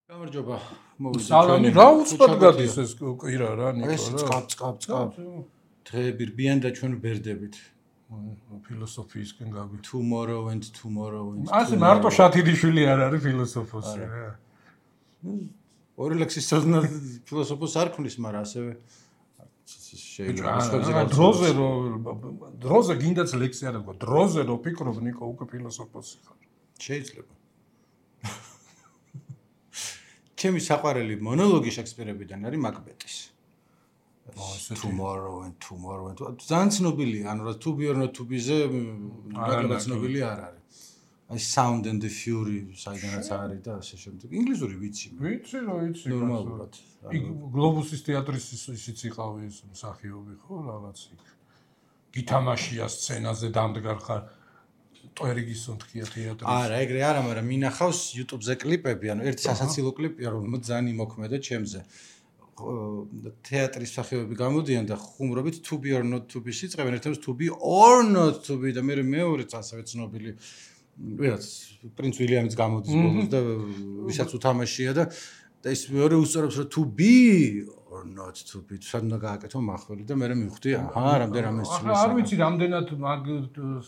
გამარჯობა. სალამი რა უცბად გადის ეს კვირა რა ნიკო რა. ეს წყაბ. დღეები რბიან და ჩვენ ვბერდებით. ფილოსოფიისკენ გავი. Tomorrow and. ასე მარტო შათილიშვილი არ არის ფილოსოფოსი რა. ორი ლექსის სოზნა ფილოსოფოს არ ქმნის, მაგრამ ასევე შეიძლება დროზე გინდაც ლექსი არ აქვს. დროზე რო ფიქრობ ნიკო უკვე ფილოსოფოსი ხარ. შეიძლება. ჩემი საყვარელი მონოლოგი შექსპირებიდან არის მაკბეტის. Tomorrow and. ძალიან ცნობილია, ანუ რა to be or not to be-ზე მაკბეტი ცნობილი არ არის. აი Sound and the Fury საიდანაც არის და ასე შემდეგ. ინგლისური ვიცი. ვიცი. ნორმალურად. გლობუსის თეატრის ისიც იყავი ეს მსახიობი ხო რაღაც იქ. გითამაშია სცენაზე დამდგარ ხარ. ტვერიგის უნთქია თეატრის. არა, ეგრე არა, მაგრამ მინახავს YouTube-ზე კლიპები, ანუ ერთი სასაცილო კლიპია, რომელიც ძალიან იმოქმედა ჩემზე. თეატრის მსახიობები გამოდიან და ხუმრობით to be or not to be-ს იწყებენ, ერთადერთი to be or not to be და მეორეც ასევე ცნობილი ვიღაც პრინც ვილიამიც გამოდის ბოლოს და ვისაც უთამაშია და ის მეორე უსწორებს რომ to be or not to be სადნა გააკეთო მახვილი და მე მივხვდი აჰა რამდენადაც ცვლის არ ვიცი რამდენად მაგ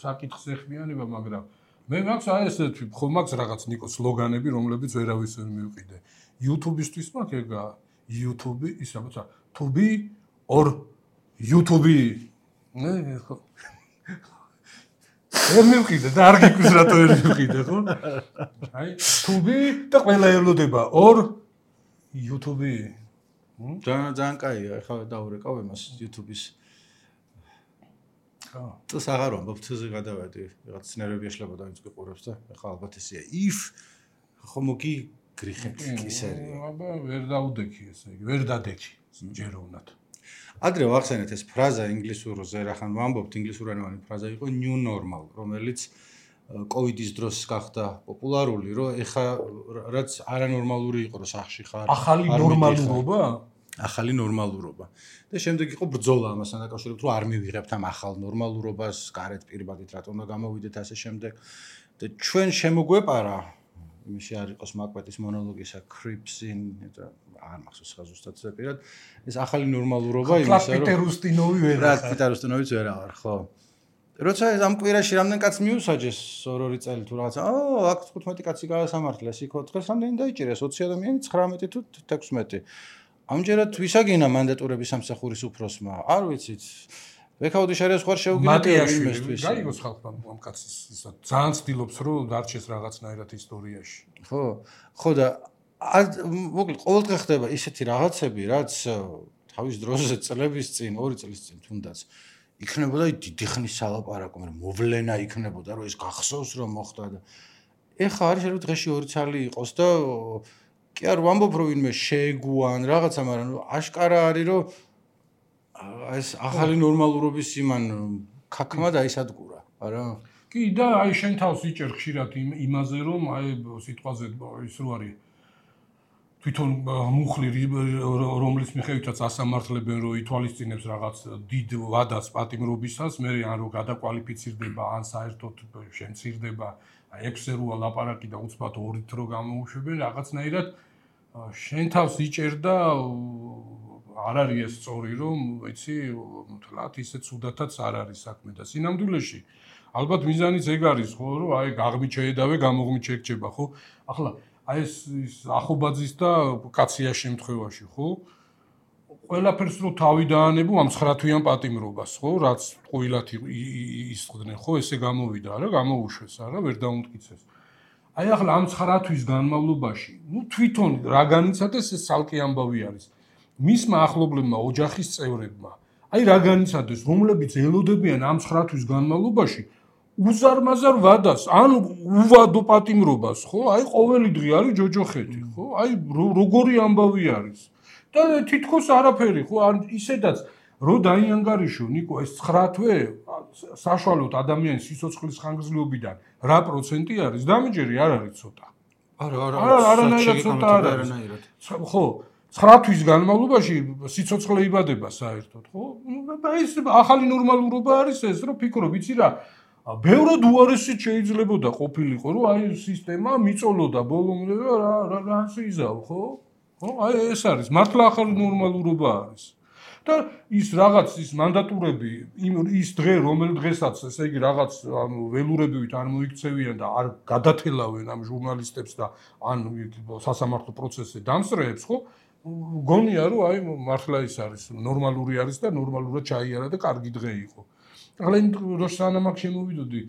საკითხს ეხმიანება მაგრამ მე მაქვს აი ესეთი ხო მაქვს რაღაც ნიკო სლოგანები რომლებიც ვერავის ვერ მივყიდე YouTube-ისთვის მაქვს ეგა YouTube ის რაღაცა to be or YouTube ნე ხო ვერ მივყიდე და არ გიკვირს რატო ვერ მივყიდე ხო აი to be და ყველა ელოდება or YouTube ძალიან კაია, ეხლა დაურეკავ იმას YouTube-ის. ხო. თუ აღარ ვამბობ, თუზე გადავედი, რაღაც სცენარები ეშლება და ვინც გიყურებს და ეხლა ალბათ ესეა. If ხომოგი გრიხეთ კისერია. აბა ვერ დაუდექი ესე იგი, ვერ დადექი ჯეროვნად. ადრე ვახსენეთ ეს ფრაზა ინგლისურზე, რახან ვამბობთ ინგლისურენოვანი ფრაზა იყო new normal, რომელიც კოვიდის დროს გახდა პოპულარული, რომ ეხა რაც არანორმალური იყო, რომ სახში ხარ. ახალი ნორმალურობა? ახალი ნორმალურობა. და შემდეგ იყო ბრძოლა ამასთან დაკავშირებით, რომ არ მივიღებთ ამ ახალ ნორმალურობას, გარეთ პირბადით რატომ უნდა გამოვიდეთ ასე შემდეგ. და ჩვენ შემოგვეპარა იმაში არ იყოს მაკბეტის მონოლოგისა Creeps in და არ მახსოვს ხა ზუსტად ზეპირად. ეს ახალი ნორმალურობა იმისა, რომ პიტერ უსტინოვი ვერ რა პიტერ უსტინოვიც ვერ აღარ, ხო. როცა ამ კვირაში რამდენ კაცს მიუსაჯეს ორ-ორი წელი თუ რაღაცა აქ 15 კაცი გაასამართლეს იქ დღეს რამდენი დაიჭირეს 20 ადამიანი 19 თუ 16 ამჯერად ვისაგინა მანდატურების სამსახურის უფროსმა არ ვიცით ვექაუდი შარიას ხარ შეუგინებია იმისთვის გაიგოს ხალხმა ამ კაცის ისა ძალიან ცდილობს რომ დარჩეს რაღაცნაირად ისტორიაში ხო და მოკლედ ყოველდღე ხდება ისეთი რაღაცები რაც თავის დროზე წლების წინ 2 წლის წინ თუნდაც იქნებოდა დიდი ხნის სალაპარაკო, მაგრამ მოვლენა იქნებოდა, რომ ეს გახსოვს რომ მოხდა და ეხა არის შეიძლება დღეში 2 ცალი იყოს და კი არ ვამბობ რომ ვინმე შეეგუან რაღაცა, მაგრამ აშკარა არის რომ ეს ახალი ნორმალურობის იმან ქაქმა დაისადგურა, არა? კი და აი შენ თავს იჭერ ხშირად იმაზე რომ აი სიტყვაზე ის რო არის თვითონ მუხლი რომლის მიხედვითაც ასამართლებენ რომ ითვალისწინებს რაღაც დიდ ვადას პატიმრობისას, მე ან რომ გადაკვალიფიცირდება, ან საერთოდ შემცირდება, აი ექსერუა ლაპარაკი და უცბად ორით რო გამოუშვებენ, რაღაცნაირად შენ თავს იჭერ და არ არის ეს სწორი რომ ვიცი, თლათ ისე ცუდათაც არ არის საქმე და სინამდვილეში ალბათ მიზანიც ეგ არის ხო, რომ აი გაღმით შეედავე, გამოღმით შეგჭება, ხო? ახლა აი ეს ახობაძის და კაცია შემთხვევაში, ხო? ყველაფერს რო თავი დაანებო ამ 9 თვიან პატიმრობას, ხო? რაც ყვილად ისხდნენ, ხო? ესე გამოვიდა, არა, გამოუშვეს, არა, ვერ დაუმტკიცეს. აი ახლა ამ 9 თვის განმავლობაში, თვითონ რა განიცადეს ეს ცალკე ამბავი არის. მისმა ახლობლებმა ოჯახის წევრებმა, აი რა განიცადეს, რომლებიც ელოდებიან ამ 9 თვის განმავლობაში უზარმაზარ ვადას, ან უვადო პატიმრობას, ხო? აი ყოველი დღე არის ჯოჯოხეთი, ხო? აი როგორი ამბავი არის. და თითქოს არაფერი, ხო? ან ისედაც რო დაიანგარიშო, ნიკო, ეს 9 თვე საშუალოდ ადამიანის სიცოცხლის ხანგრძლივობიდან რა პროცენტი არის? დამიჯერი არ არის ცოტა. არანაირად ცოტა არ არის. ხო, 9 თვის განმავლობაში სიცოცხლე იბადება საერთოდ, ხო? ეს ახალი ნორმალურობა არის ეს, რომ ფიქრობ, იცი რა ბევრად უარესიც შეიძლებოდა ყოფილიყო, რომ აი სისტემა მიწოლოდა ბოლომდე და რა იზავ, ხო? ხო, აი ეს არის, მართლა ახალი ნორმალურობა არის. და ის რაღაც ის მანდატურები, ის დღე, რომელ დღესაც, ესე იგი რაღაც ველურებივით არ მოიქცევიან და არ გადათელავენ ამ ჟურნალისტებს და ან სასამართლო პროცესზე დამსწრეებს, ხო? გონია რომ აი მართლა ის არის, ნორმალური არის და ნორმალურად ჩაიარა და კარგი დღე იყო. ახლა იმ დროს სანამ აქ შემოვიდოდი,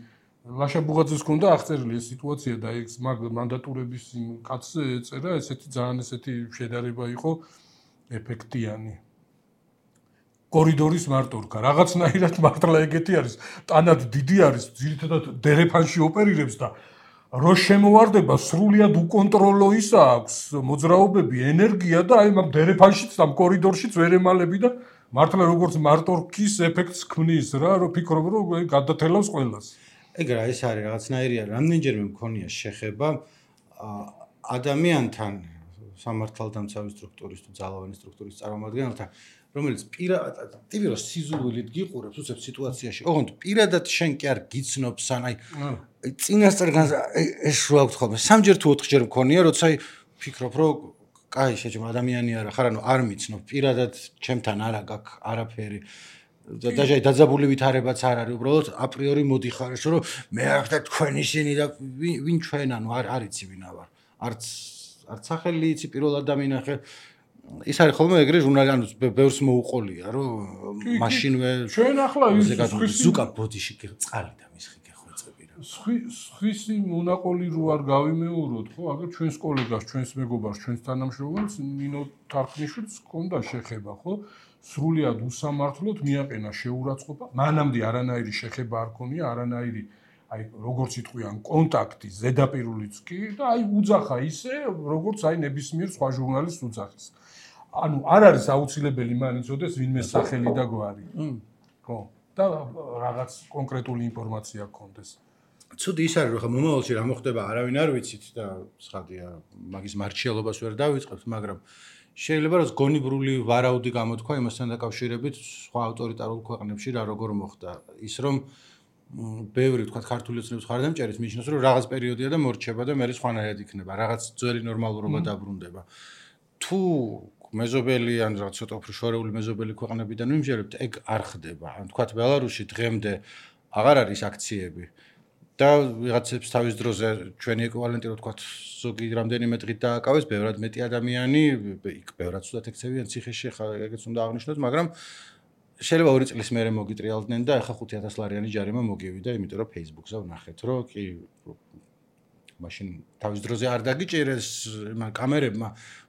ლაშა ბუღაძეს ჰქონდა აღწერილი ეს სიტუაცია და ეს მანდატურების კაცზე ეწერა ესეთი ძალიან ესეთი შედარება იყო ეფექტიანი. კორიდორის მარტორკა, რაღაცნაირად მართლა ეგეთი არის, ტანად დიდი არის, ძირითადად დერეფანში ოპერირებს და რო შემოვარდება სრულიად უკონტროლო ისა აქვს მოძრაობები, ენერგია და აი მაგ დერეფანშიც და კორიდორშიც ვერ ემალები და მართლა როგორც მარტორკის ეფექტს ქმნის რა, რომ ფიქრობ რომ გადათელავს ყველას. ეგ რა ის არის რაღაცნაირია, რამდენჯერმე მქონია შეხება ადამიანთან სამართალდამცავი სტრუქტურის თუ ძალოვანი სტრუქტურის წარმომადგენელთან, რომელიც ტიპიურად სიზულვილით გიყურებს უცებ სიტუაციაში. ოღონდ პირადად შენ კი არ გიცნობს ან აი წინასწარ ეს რა ვთქვა ხოლმე, სამჯერ თუ ოთხჯერ მქონია, როცა აი ფიქრობ რომ კაი შეჭმა ადამიანი არა ხარ, ანუ არ მიცნობ პირადად ჩემთან არა გაქვს არაფერი. დაჟე დაძაბული ვითარებაც არ არის, უბრალოდ აპრიორი მოდიხარ ეს რომ მე არ ხარ თქვენ ისინი და ვინ ჩვენ ანუ არ იცი ვინა ვარ. არც სახელი იცი პირველად დამინახე. ის არის ხოლმე ეგრე ჟურნალი, ანუ ბევრს მოუყოლია, რომ მაშინვე ჩვენ ახლა ის ზუკა ბოდიში წყალი და მისხი გეხვეწები რა. სხვისი მონაყოლი რო არ გავიმეოროთ, ხო, აგერ ჩვენს კოლეგას, ჩვენს მეგობარს, ჩვენს თანამშრომელს ნინო თარხნიშვილს ჰქონდა შეხება, ხო? სრულიად უსამართლოდ მიაყენა შეურაცხყოფა. მანამდე არანაირი შეხება არ ქონია, არანაირი აი როგორც იტყვიან კონტაქტი ზედაპირულიც კი და აი უძახა ისე, როგორც აი ნებისმიერ სხვა ჟურნალისტს უძახის. ანუ არ არის აუცილებელი მან იცოდეს ვინმე სახელი და გვარი. ხო. და რაღაც კონკრეტული ინფორმაცია გქონდეს. ცუდი ის არის, რომ ხა მომავალში რა მოხდება, არავინ არ ვიცით და ცხადია, მაგის მარჩიალობას ვერ დავიწყებთ, მაგრამ შეიძლება რომ გონიბრული ვარაუდი გამოთქვა იმასთან დაკავშირებით სხვა ავტორიტარულ ქვეყნებში რა როგორ მოხდა. ის რომ ბევრი თქვა ქართული ოცნების ხარდამჭერის მიჩნევს რომ რაღაც პერიოდია და მორჩება და მე სხვანაირად იქნება, რაღაც ძველი ნორმალურობა დაბრუნდება. თუ მეზობელი ან რაღაც ცოტა უფრო შორეული მეზობელი ქვეყნებიდან ვიმჯერებთ, ეგ არ ხდება. ან თქვა ბელარუსში დღემდე აღარ არის აქციები. და ვიღაცებს თავის დროზე ჩვენი ეკვივალენტი რო თქვა ზოგი რამდენიმე დღით დააკავეს, ბევრად მეტი ადამიანი, იქ ბევრად ცუდად ექცევიან ციხეში, ხა ეგეც უნდა აღნიშნოთ, მაგრამ შეიძლება 2 წლის მერე მოგიტრიალდნენ და ახლა 5,000 ლარიანი ჯარიმა მოგივიდა, იმიტომ რომ Facebook-ზე ვნახეთ, რომ კი მაშინ თავის დროზე არ დაგიჭირეს იმ კამერებმა,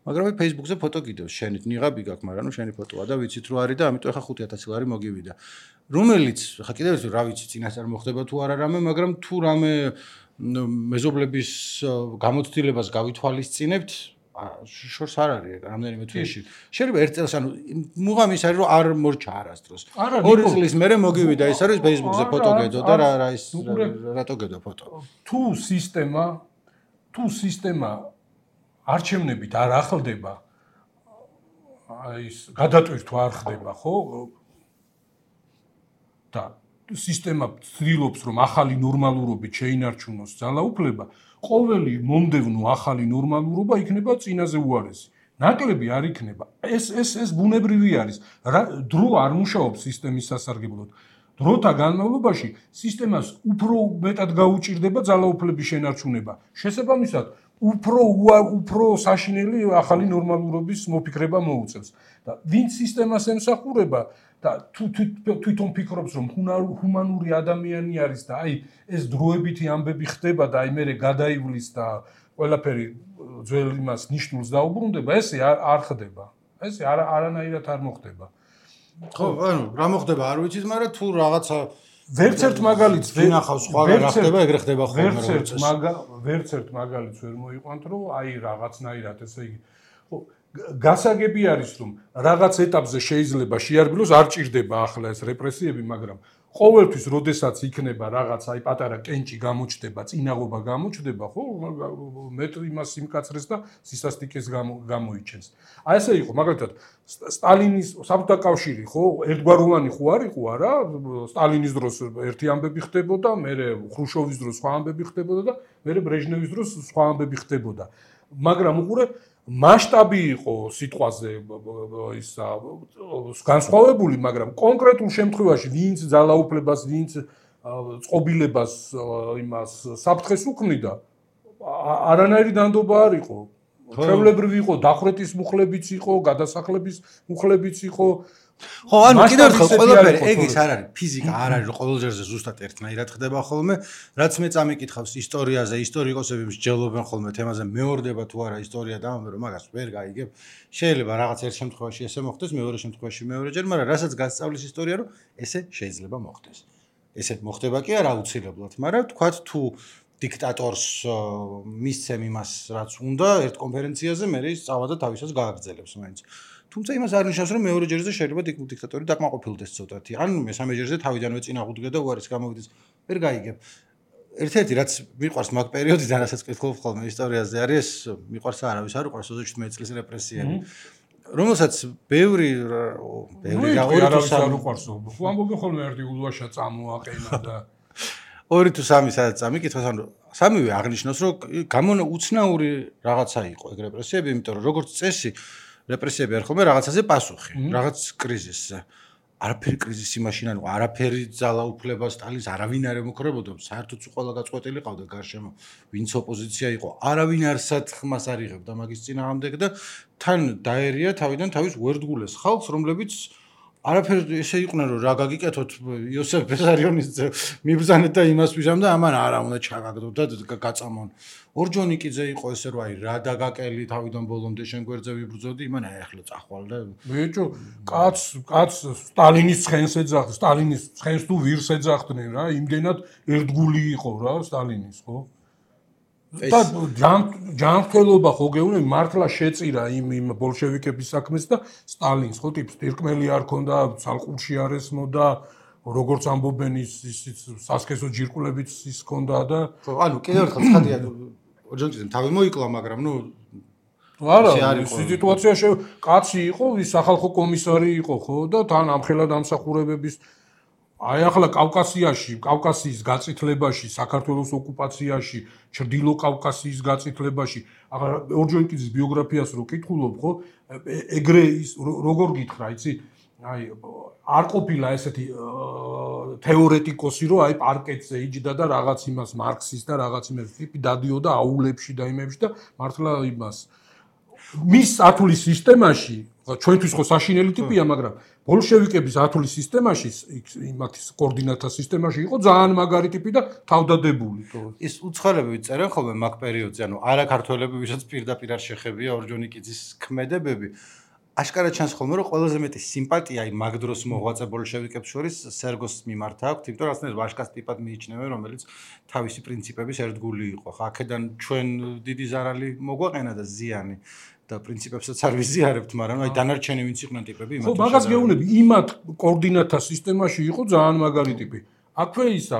მაგრამ Facebook-ზე ფოტო კიდევ შენით ნიღაბი გაქვს, მაგრამ ნუ შენი ფოტოა და ვიცით რომ არის და ამიტომ ახლა 5,000 ლარი მოგივიდა. რომელიც ხა კიდევ ერთი რა ვიცი წინასწარ მოხდება თუ არა რამე, მაგრამ თუ რამე მეზობლების გამოცდილებას გავითვალისწინებთ, შორს არ არის რამდენიმე თვეში. შეიძლება 1 წელს ანუ მუღამი ის არის რომ არ მორჩა არასდროს. 2 წლის მერე მოგივიდა ის არის Facebook-ზე ფოტო გედო და რა ის რატო გედო ფოტო. თუ სისტემა არჩევნებით არ ახლდება, აი ის გადატვირთვა არ ხდება, ხო? და სისტემა ცდილობს რომ ახალი ნორმალურობით შეინარჩუნოს ძალაუფლება, ყოველი მომდევნო ახალი ნორმალურობა იქნება წინაზე უარესი. ნაკლები არ იქნება. ეს ბუნებრივი არის. დრო არ მუშაობს სისტემის სასარგებლოდ. დროთა განმავლობაში სისტემას უფრო მეტად გაუჭირდება ძალაუფლების შენარჩუნება. შესაბამისად, უფრო საშინელი ახალი ნორმალურობის მოფიქრება მოუწევს. და ვინც სისტემას ემსახურება და თვითონ ფიქრობს რომ ჰუმანური ადამიანი არის და აი ეს დროებითი ამბები ხდება და აი მე გადაივლის და ყველაფერი ძველ იმას ნიშნულს დაუბრუნდება, ესე არ ხდება. ესე არანაირად არ მოხდება. ხო, ანუ რა მოხდება არ ვიცით, მაგრამ თუ რაღაცა ვერც ერთ მაგალითს ვინახავს სხვა რა ხდება, ეგრე ხდება ხოლმე როგორც ვერც ერთ მაგალითს ვერ მოიყვანთ რომ აი რაღაცნაირად ესე იგი ხო გასაგები არის რომ რაღაც ეტაპზე შეიძლება შეარბილოს არ ჭირდება ახლა ეს რეპრესიები, მაგრამ ყოველთვის როდესაც იქნება რაღაც აი პატარა კენჭი გამოჩდება, წინაღობა გამოჩდება, ხო, მეტ იმას იმკაცრეს და სისასტიკეს გამოიჩენს. აი ესე იყო, მაგალითად, სტალინის საბჭოთა კავშირი, ხო, ერთგვაროვანი ხო არ იყო არა? სტალინის დროს ერთი ამბები ხდებოდა, მერე ხრუშოვის დროს სხვა ამბები ხდებოდა და მერე ბრეჟნევის დროს სხვა ამბები ხდებოდა. მაგრამ უყურე მასშტაბი იყო სიტყვაზე ისა განსხვავებული, მაგრამ კონკრეტულ შემთხვევაში ვინც ძალაუფლებას, ვინც წყობილებას იმას საფრთხეს უქმნიდა, არანაირი დანდობა არ იყო. ჩვეულებრივი იყო, დახვრეტის მუხლებიც იყო, გადასახლების მუხლებიც იყო. ხო, ანუ კიდევ ერთხელ ყველაფერი ეგ ის არ არის, ფიზიკა არ არის, რომ ყოველ ჯერზე ზუსტად ერთნაირად ხდება ხოლმე, რაც მე წამიკითხავს ისტორიაზე, ისტორიკოსები მსჯელობენ ხოლმე თემაზე, მეორდება თუ არა ისტორია და ამბობენ, რომ მაგას ვერ გაიგებ. შეიძლება რაღაც ერთ შემთხვევაში ესე მოხდეს, მეორე შემთხვევაში მეორეჯერ, მაგრამ რასაც გასწავლის ისტორია, რომ ესე შეიძლება მოხდეს. ესე მოხდება კი არა აუცილებლად, მაგრამ თქვათ თუ დიქტატორს მისცემ იმას, რაც უნდა, ერთ კონფერენციაზე მე ის წავა და თავისას გააგრძელებს მაინც. თუმცა იმას არ ნიშნავს, რომ მეორე ჯერზე შეიძლება დიქტატორი დაკმაყოფილდეს ცოტათი. ან მესამე ჯერზე თავიდანვე წინაღუდგე და უარის გამოვიდეს. ვერ გაიგებ. ერთ-ერთი რაც მიყვარს მაგ პერიოდიდან, რასაც კითხულობ ხოლმე ისტორიაზე არის, მიყვარს არავის არ უყვარს 27 წლის რეპრესიები. რომელსაც ბევრი არავის არ უყვარს. ხო ამბობენ ხოლმე ერთი ულვაშა წამოაყენა და 2 თუ 3 სადაც წამიკითხოს, ანუ სამივე აღნიშნავს, რომ უცნაური რაღაცა იყო ეგ რეპრესიები, იმიტომ რომ როგორც წესი რეპრესიები არ ხოლმე რაღაცაზე პასუხი, რაღაც კრიზისზე. არაფერი კრიზისი მაშინ არ იყო, არაფერი ძალაუფლება სტალინს არავინ არ ემუქრებოდა, საერთოდ ყველა გაწყვეტილი ყავდა გარშემო, ვინც ოპოზიცია იყო, არავინ არ სათხმას არ იღებდა მაგის წინააღმდეგ და თან დაერია თავიდან თავის ვერდგულეს ხალხს, რომლებიც არაფერი ესე იყვნენ, რომ რა გაგიკეთოთ იოსებ ბესარიონის მიბრძანეთ და იმას ვიჟამ და ამან არა უნდა ჩაგაგდოთ და გაწამონ. ორჯონიკიძე იყო ესე რომ აი რა დაგაკელი თავიდან ბოლომდე შენ გვერდზე ვიბრძოდი, იმან აი ახლა წახვალ და ბიჭო, კაც სტალინის ცხენს ეძახდა, სტალინის ცხენს თუ ვირს ეძახდნენ რა, იმდენად ერთგული იყო რა სტალინის, ხო? და ჯანმრთელობა ხო გეუბნები მართლა შეწირა იმ ბოლშევიკების საქმეს და სტალინს ხო ტიპს დირკმელი არ ქონდა, ცალყურში არ ესმოდა, როგორც ამბობენ ის სასქესო ჯირკულებიც ის ქონდა და ხო, ანუ კიდევ ერთხელ ცხადია ორჯონიკიძემ თავი მოიკლა, მაგრამ ნუ არა, სიტუაციაში კაცი იყო, ის სახალხო კომისარი იყო ხო და თან ამხელა დამსახურებების აი ახლა კავკასიის გაწითლებაში, საქართველოს ოკუპაციაში, ჩრდილო კავკასიის გაწითლებაში, ახლა ორჯონიკიძის ბიოგრაფიას რო კითხულობ, ხო, ეგრე ის როგორ გითხრა, იცი? აი არ ყოფილა ესეთი თეორეტიკოსი, რომ აი პარკეტზე იჯდა და რაღაც იმას მარქსის და რაღაც იმას ტიპი დადიოდა აულებში და იმებში და მართლა იმას მის ათulis სისტემაში ჩვენთვის ხო საშინელი ტიპია, მაგრამ ბოლშევიკების ათulis სისტემაში, იმათის კოორდინატთა სისტემაში იყო ძალიან მაგარი ტიპი და თავდადებული. ის უცხოელები წერენ ხოლმე მაგ პერიოდზე, ანუ არა ქართველები, ვისაც პირდაპირ არ შეხებია ორჯონიკიძის ქმედებები. აშკარად ჩანს ხოლმე, რომ ყველაზე მეტი სიმპათია აი მაგ დროს მოღვაწე ბოლშევიკებს შორის სერგოს მიმართ აქვს, იმიტომ რომ ასნაირ ვაშკას ტიპად მიიჩნევენ, რომელიც თავისი პრინციპების ერთგული იყო. ხა აქედან ჩვენ დიდი ზარალი მოგვაყენა და ზიანი და პრინციპებსაც არ ვიზიარებთ, მაგრამ აი დანარჩენი ვინც იყვნენ ტიპები იმათ. ხო, მაგას გეუბნები, იმათ კოორდინატთა სისტემაში იყო ძალიან მაგარი ტიპი. აქვე ისა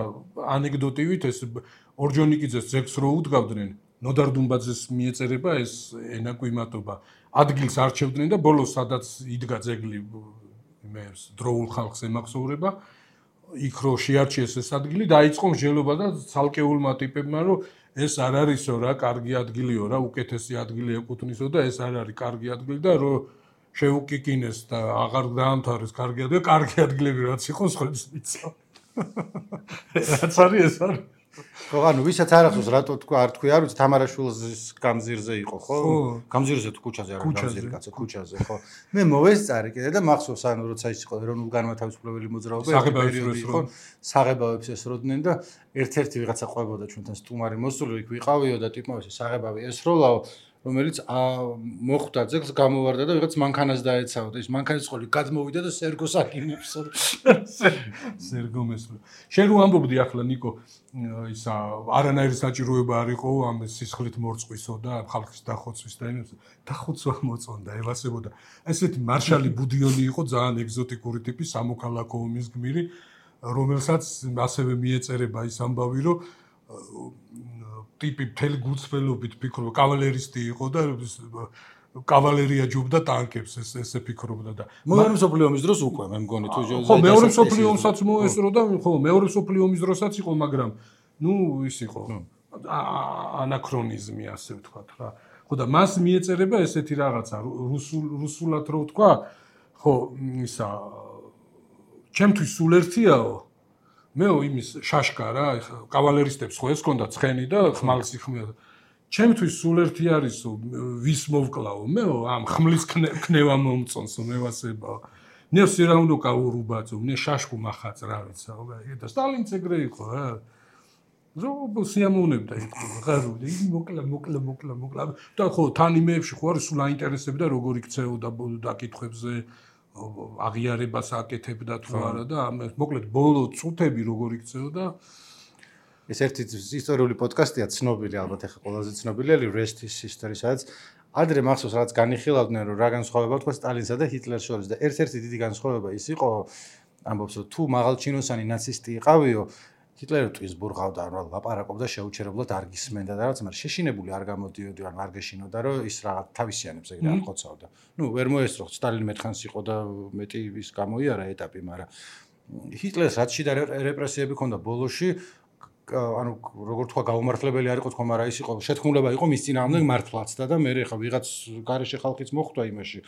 ანეკდოტივით ეს ორჯონიკიძეს ძეგლს რო უდგავდნენ, ნოდარ დუმბაძეს მიეწერება ეს ენაკვიმატობა. ადგილს არჩევდნენ და ბოლოს სადაც იდგა ძეგლი იმეს დროულ ხალხს ემახსოვრება, იქ რო შეარჩიეს ეს ადგილი, დაიწყო მსჯელობა და ცალკეულმა ტიპებმა, რომ ეს არ არისო რა, კარგი ადგილიო რა, უკეთესი ადგილი ეკუთვნისო და ეს არ არის კარგი ადგილი და რო შეუკიკინეს და აღარ დაამთავრეს კარგი ადგილი, კარგი ადგილები რაც იყო სხვებს მიცავ. რაც არის ეს არის. ხო, ანუ ვისაც არ ახსოვს რატო თქვა, არ თქვი, არ ვიცი, თამარაშვილის გამზირზე იყო, ხო? გამზირზე თუ ქუჩაზე არა, გამზირი კაცო, ქუჩაზე, ხო. მე მოვესწარი კიდე და მახსოვს, ანუ როცა ის იყო ეროვნულ განმათავისუფლებელი მოძრაობა, საღებავებს იყო, საღებავებს ესროდნენ და ერთ-ერთი ვიღაცა ყვებოდა ჩვენთან სტუმარი მოსული, იქ ვიყავიო და ტიპმა ეს საღებავი ესროლაო, რომელიც მოხვდა ძეგლს გამოვარდა და ვიღაც მანქანას დაეცაო და ის მანქანის ყოლი გადმოვიდა და სერგოს აკინებს. სერგო მესროლ. შენ რო ამბობდი ახლა ნიკო ისა არანაირი საჭიროება არ იყო ამ სისხლით მორწყვისო და ხალხის დახოცვის და იმის დახოცვა მოწონდა, ევასებოდა. ესეთი მარშალი ბუდიონი იყო ძალიან ეგზოტიკური ტიპი, სამოქალაქო ომის გმირი. რომელსაც ასევე მიეწერება ის ამბავი, რომ ტიპი მთელი გულწრფელობით ფიქრობდა, კავალერისტი იყო და კავალერია ჯობდა ტანკებს ესე ფიქრობდა და მეორე მსოფლიო ომის დროს უკვე მე მგონი თუ ხო მეორე მსოფლიო ომსაც მოესწრო და ხო მეორე მსოფლიო ომის დროსაც იყო, მაგრამ ის იყო ანაქრონიზმი ასე ვთქვათ რა. ხო და მას მიეწერება ესეთი რაღაცა რუსულად რო ვთქვა, ხო ისა ჩემთვის სულ ერთიაო მეო იმის შაშკა რა, კავალერისტებს ხო ეს ქონდა ცხენი და ხმალს იხმიან. ჩემთვის სულ ერთი არისო ვის მოვკლაო მეო ამ ხმლის ქნევა მომწონსო მე ვასება. მე სირაუნდო კაურუბაცო, მე შაშკუ მახაც რა ვიცა, და სტალინც ეგრე იყო რა. ზოგ სიამოვნებდა იყო ხარო მოკლა და ხო თან იმეებში ხო არის სულ აინტერესებდა როგორ იქცეოდა დაკითხვებზე აღიარებას აკეთებდა თუ არა და მოკლედ ბოლო წუთები როგორ იქცეოდა ეს ერთი ისტორიული პოდკასტია ცნობილი ალბათ ახლა ყველაზე ცნობილი Rest is History სადაც ადრე მახსოვს რაღაც განიხილავდნენ რომ რა განსხვავება თქვა სტალინსა და ჰიტლერს შორის და ერთ-ერთი დიდი განსხვავება ის იყო ამბობს რომ თუ მაღალჩინოსანი ნაცისტი იყავიო ჰიტლერი ტვის ბურღავდა რა ლაპარაკობდა შეუჩერებლად არ გისმენდა და რაღაც მაგრამ შეშინებული არ გამოდიოდი ან არ გეშინოდა რომ ის რაღაც თავისიანებს ეგრე არ ხოცავდა. ნუ ვერ მოესწრო სტალინი მეთხანს იყო და მეტი ის გამოიარა ეტაპი, მაგრამ ჰიტლერს რაც შიდა რეპრესიები ქონდა ბოლოში ანუ როგორ თქვა გაუმართლებელი არ იყო თქო, მაგრამ ის იყო შეთქმულება იყო მის წინააღმდეგ მართლაცდა და მე ხა ვიღაც გარეშე ხალხიც მოხვდა იმაში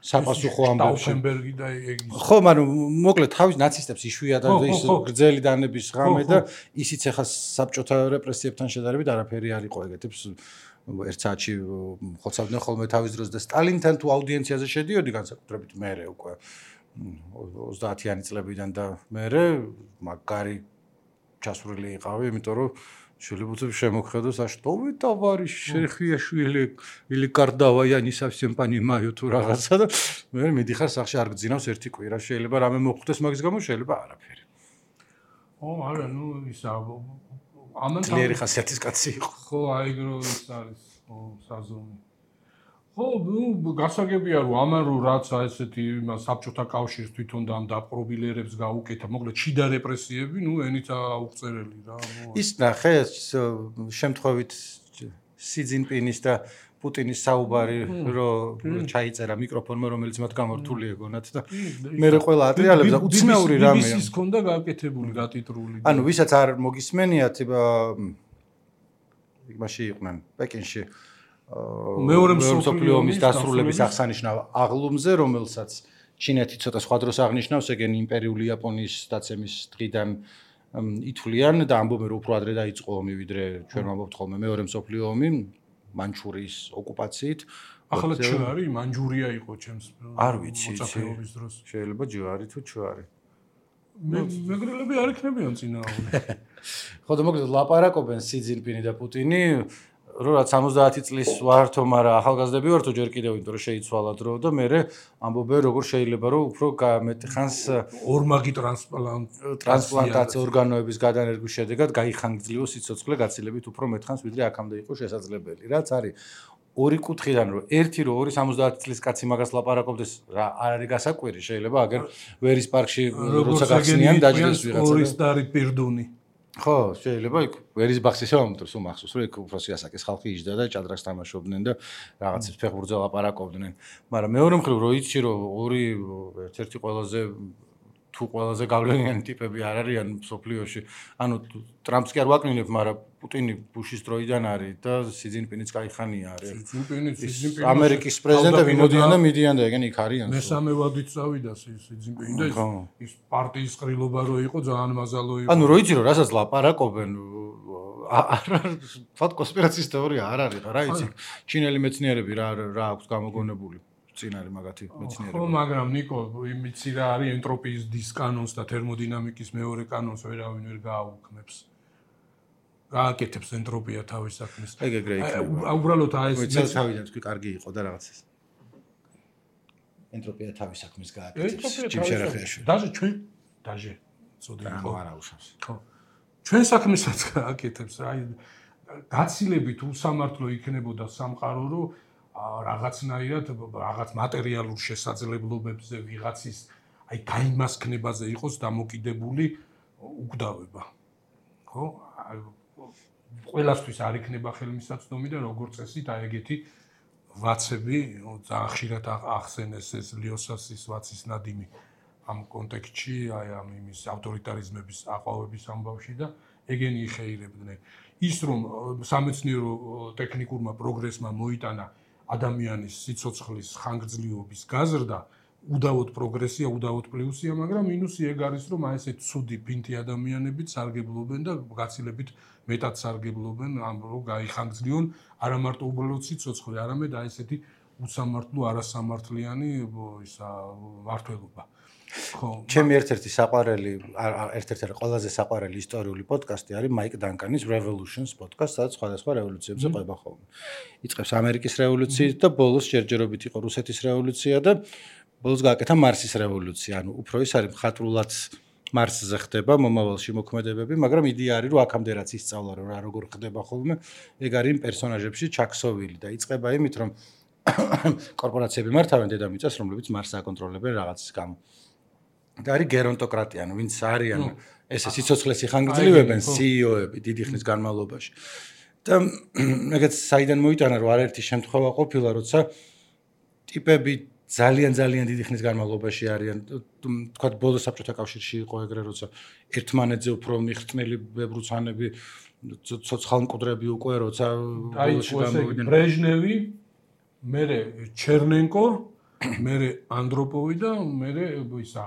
საპასუხო ამბებში. შტაუფენბერგი და ხო, მაგრამ მოკლედ თავის ნაცისტებს იშვიათ და ის გრძელი დანების ღამე და ისიც ხა საბჭოთა რეპრესიებთან შედარებით არაფერი არ იყო ეგეთებს ერთ საათში ხოცავდნენ ხოლმე თავის დროს და სტალინთან თუ აუდიენციაზე შედიოდი განსაკუთრებით მერე უკვე 30-იანი წლებიდან და მერე მაგარი ჩასვრილი იყავი, იმიტომ რომ შეიძლება შემოხედოს, а что вы, товарищ Шерхияშვილი, или Кардава, я не совсем понимаю თუ რაღაცა და მე მიდიხარ სახში არ გძინავს ერთი კვირა, შეიძლება რამე მოხდეს მაგის გამო, შეიძლება არაფერი. ო, არა, ნუ ისა ამან ძლიერი ხასიათის კაცი იყო. ხო, აიგრო ის არის, ხო, საზომი. ხო, ნუ გასაგებია რომ ამან რო რაც ესეთი საბჭოთა კავშირს თვითონ და ამ დაპყრობილერებს გაუკეთა, მოკლედ შიდა რეპრესიები, ნუ ენით აუღწერელი რა. ის ნახე შემთხვევით სი ძინპინის და პუტინის საუბარი რომ ჩაიწერა მიკროფონმა რომელიც მათ გამორთული ეგონათ და მე ყველა ატრიალებდა უცნაური რამეა. ის ქონდა გაკეთებული გატიტრული. ანუ ვისაც არ მოგისმენიათ იმაში იყვნენ პეკინში მეორე მსოფლიო ომის დასრულების აღსანიშნავ აღლუმზე, რომელსაც ჩინეთი ცოტა სხვა დროს აღნიშნავს, ეგენ იმპერიული იაპონიის დაცემის დღიდან ითვლიან და ამბობენ რომ უფრო ადრე დაიწყო ომი, ვიდრე ჩვენ ვამბობთ ხოლმე მეორე მსოფლიო ომი მანჩურიის ოკუპაციით. ახლა ჩუარი მანჯურია იყო ჩემს არ ვიცი, მოწაფეობის დროს. შეიძლება ჯვარი თუ ჩუარი. მეგრელები არ იქნებიან წინააღმდეგ. ხო და მოკლედ ლაპარაკობენ სი ძინპინი და პუტინი რომ რაც 70 წლის ვართო, მაგრამ ახალგაზრდები ვართო ჯერ კიდევ, იმიტომ რომ შეიცვალა დრო და მე ამბობენ როგორ შეიძლება რომ უფრო მეტი ხანს ორმაგი ტრანსპლანტაცია ორგანოების გადანერგვის შედეგად გაიხანგრძლივოს სიცოცხლე გაცილებით უფრო მეტ ხანს ვიდრე აქამდე იყო შესაძლებელი. რაც არის ორი კუთხიდან რომ ერთი რომ 70 წლის კაცი მაგას ლაპარაკობდეს რა არ არის გასაკვირი, შეიძლება აგერ ვერის პარკში როცა გახსნიან დაჯდეს ვიღაცა. ორი სტარი პირდუნი. ხო, შეიძლება იქ ვერის ბახში შემომტრს უმახსოვს, რომ იქ უფროსი ასაკის ხალხი იჯდა და ჭადრაკს თამაშობდნენ და რაღაცებს ფეხბურთზე ლაპარაკობდნენ. მაგრამ მეორე მხრივ რო იცი რომ ორი ერთ-ერთი ყველაზე თუ ყველაზე გავლენიანი ტიპები არ არიან მსოფლიოში. ანუ ტრამპს კი არ ვაკნინებ, მაგრამ პუტინი ბუშის დროიდან არის და სი ძინპინიც კაიხანია არის. სი ამერიკის პრეზიდენტები მოდიან და მიდიან და ეგენ იქ არიან. მესამე ვადით წავიდა სი ძინპინი და ის პარტიის ყრილობა რო იყო ძალიან მაზალო იყო. ანუ რო იცი რომ რასაც ლაპარაკობენ თქვა კონსპირაციის თეორია არ არის რა იცი. ჩინელი მეცნიერები რა აქვს გამოგონებული. წინ არის მაგათი მეცნიერება. ხო, მაგრამ ნიკო, იმიცი რა არის ენტროპიის დისკანონს და თერმოდინამიკის მეორე კანონს ვერავინ ვერ გააუქმებს. გააკეთებს ენტროპია თავის საქმეს. ეგრე იქნება. უბრალოდ აი ეს თავიდან თქვი კარგი იყო და რაღაცას. ენტროპია თავის საქმეს გააკეთებს. ჯიმშერახიაში. დაჟე წოდი იყო. არა უშავს. ხო. ჩვენ საქმესაც გააკეთებს. აი გაცილებით უსამართლო იქნებოდა სამყარო, რომ რაღაცნაირად რაღაც მატერიალურ შესაძლებლობებზე ვიღაცის აი გაიმასქნებაზე იყოს დამოკიდებული უკვდავება. ხო? ყველასთვის არ იქნება ხელმისაწვდომი და როგორც წესი და ეგეთი ვაცები ძალიან ხშირად ახსენეს ეს ლიოსასის ვაცის ნადიმი ამ კონტექსტში, აი ამ იმის ავტორიტარიზმების აყვავების ამბავში და ეგენი იხეირებდნენ. ის რომ სამეცნიერო ტექნიკურმა პროგრესმა მოიტანა ადამიანის სიცოცხლის ხანგრძლივობის გაზრდა, უდავოდ პროგრესია, უდავოდ პლუსია, მაგრამ მინუსი ეგ არის, რომ აი ესეთ ცუდი ფინთი ადამიანებიც სარგებლობენ და გაცილებით მეტად სარგებლობენ ამ რომ გაიხანგრძლივონ არა მარტო უბრალოდ სიცოცხლე, არამედ აი ესეთი უსამართლო, არასამართლიანი ისა მართლობა. ხო. ჩემი ერთ-ერთი საყვარელი, ერთ-ერთი ყველაზე საყვარელი ისტორიული პოდკასტი არის მაიკ დანკანის Revolutions პოდკასტი, სადაც სხვადასხვა რევოლუციებზე ყვება ხოლმე. იწყებს ამერიკის რევოლუციით და ბოლოს ჯერჯერობით იყო რუსეთის რევოლუცია და ბოლოს გააკეთა მარსის რევოლუცია. ანუ უფრო ის არის მხატვრულად მარსზე ხდება მომავალში მოქმედებები, მაგრამ იდეა არის რომ აქამდე რაც ისწავლა რომ რა როგორ ხდება ხოლმე, ეგ არის იმ პერსონაჟებში ჩაქსოვილი და იწყება იმით რომ კორპორაციები მართავენ დედამიწას, რომლებიც მარსს აკონტროლებენ რაღაცის გამო. და არის გერონტოკრატია, ანუ ვინც არიან ესე სიცოცხლეს იხანგრძლივებენ CEO-ები დიდი ხნის განმავლობაში. და ეგეც საიდან მოიტანა რომ არაერთი შემთხვევა ყოფილა, როცა ტიპები ძალიან დიდი ხნის განმავლობაში არიან, თქვა ბოლო საბჭოთა კავშირში იყო ეგრე, როცა ერთმანეთზე უფრო მიხსნელი ბებრუცანები, ცოცხალმკვდრები უკვე როცა ბოლოში გამოვიდნენ. ბრეჟნევი, მერე ჩერნენკო, მერე ანდროპოვი და მერე ისა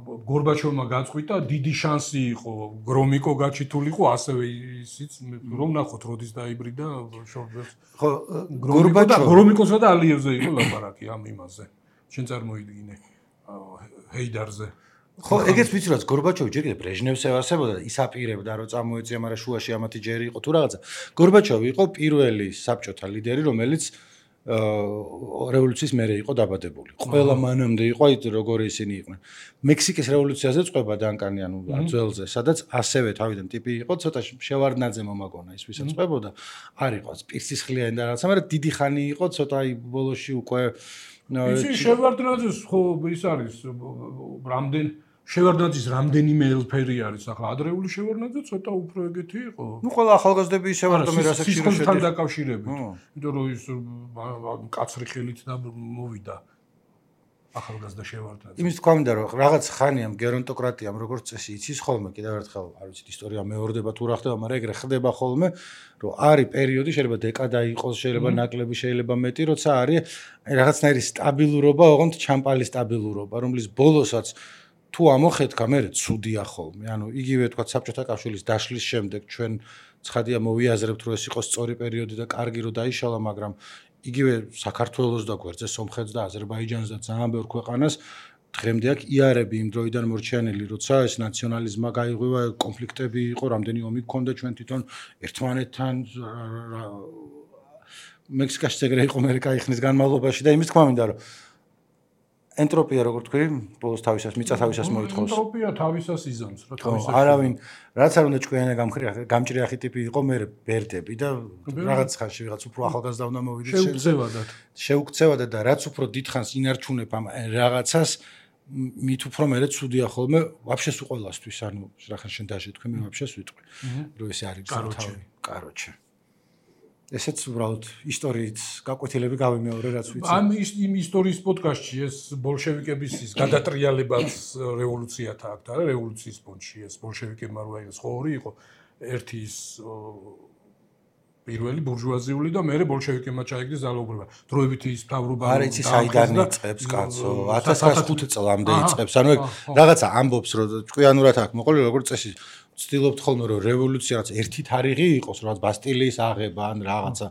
გორბაჩოვმა გაწყვიტა, დიდი შანსი იყო გრომიკო გაჩითულიყო, ასევე ისიც რომ ნახოთ როდის დაიბრიდა შორბერს. ხო, გრომიკოსა და ალიევზე იყო ლაპარაკი ამ იმაზე. შენ წარმოიდგინე ჰეიდარზე. ხო, ეგეც ვიცი რომ გორბაჩოვი ჯერ კიდევ ბრეჟნევს ევასებოდა და ის აპირებდა რომ წამოეწია, მაგრამ შუაში ამათი ჯერი იყო თუ რაღაცა. გორბაჩოვი იყო პირველი საბჭოთა ლიდერი, რომელიც რევოლუციის მერე იყო დაბადებული. ყველა მანამდე იყო აი როგორი ისინი იყვნენ. მექსიკის რევოლუციაზე წყვება დანკანი, ანუ ძველზე, სადაც ასევე თავიდან ტიპი იყო, ცოტა შევარდნაძე მომაგონა ის ვისაც წყვებოდა. არ იყო პირსისხლიანი და რაღაცა, მაგრამ დიდი ხანი იყო, ცოტა აი ბოლოში უკვე ისი შევარდნაძეს ხო ის არის რამდენ შევარდნაძის რამდენიმე ელფერი არის ახლა ადრეული შევარდნაძე ცოტა უფრო ეგეთი იყო. ნუ ყველა ახალგაზრდები ისევ რატომ რასაქმეში შედგება დაკავშირებით. იმიტომ რომ ის კაცრი ხელით და მოვიდა ახალგაზრდა შევარდნაძე. იმის თქვა მინდა რომ რაღაც ხანიამ გერონტოკრატიამ როგორც წესი იცის ხოლმე, კიდევ ერთხელ არ ვიცით ისტორია მეორდება თუ რა ხდება, მაგრამ ეგრე ხდება ხოლმე, რომ არის პერიოდი, შეიძლება დეკადა იყოს, შეიძლება ნაკლები, შეიძლება მეტი, როცა არის რაღაცნაირი სტაბილურობა, ოღონდ ჩამპალი სტაბილურობა, რომლის ბოლოსაც თუ ამოხედქა, მე ცუდია ხოლმე. ანუ იგივე თქვა საბჭოთა კავშირის დაშლის შემდეგ ჩვენ ცხადია მოვიაზრებთ რომ ეს იყო სწორი პერიოდი და კარგი რომ დაიშალა, მაგრამ იგივე საქართველოს და გვერდზე სომხეთს და აზერბაიჯანს და ძალიან ბევრ ქვეყანას დღემდე აქ იარები იმ დროიდან მორჩენილი, როცა ეს ნაციონალიზმა გაიღვივა, კონფლიქტები იყო, რამდენი ომი გქონდა ჩვენ თვითონ ერთმანეთთან მექსიკაში ეგრე იყო მე კაიხნის განმავლობაში და იმის თქვა მინდა რომ ენტროპია როგორ თქვი, ბოლოს თავისას მიწა თავისას მოითხოვს. ენტროპია თავისას იზამს, რა თავისას. არავინ, რაც არ უნდა ჭკვიანა გამჭრიახი ტიპი იყო, მე ბერდები და რაღაც ხანში ვიღაც უფრო ახალგაზრდა უნდა მოვიდეს. შეუქცევადად და რაც უფრო დიდხანს ინარჩუნებ ამ რაღაცას, მით უფრო მე ცუდია ხოლმე, ვაფშე სულ ყველასთვის, ანუ რახან შენ დაჟე თქვი, მე ვაფშე ვიტყვი. რომ ესე არის კაროჩე. კაროჩე. ესეც უბრალოდ ისტორიით გაკვეთილები გავიმეორე რაც ვიცი. ამ იმ ისტორიის პოდკასტში ეს ბოლშევიკების ის გადატრიალებაც რევოლუციათა აქვს და რევოლუციის ფონში ეს ბოლშევიკებმა რო აიღეს ხორი იყო ერთი ის პირველი ბურჟუაზიული და მერე ბოლშევიკებმა ჩაიგდეს ძალაუფლება. დროებითი ის მთავრობა არ იცი საიდან იწყებს კაცო 1905 წლამდე იწყებს. ანუ ეგ რაღაცა ამბობს რომ ჭკვიანურად აქვს მოყოლი როგორც წესი ვცდილობთ ხოლმე რომ რევოლუცია რაც ერთი თარიღი იყოს, რაც ბასტილიის აღება ან რაღაცა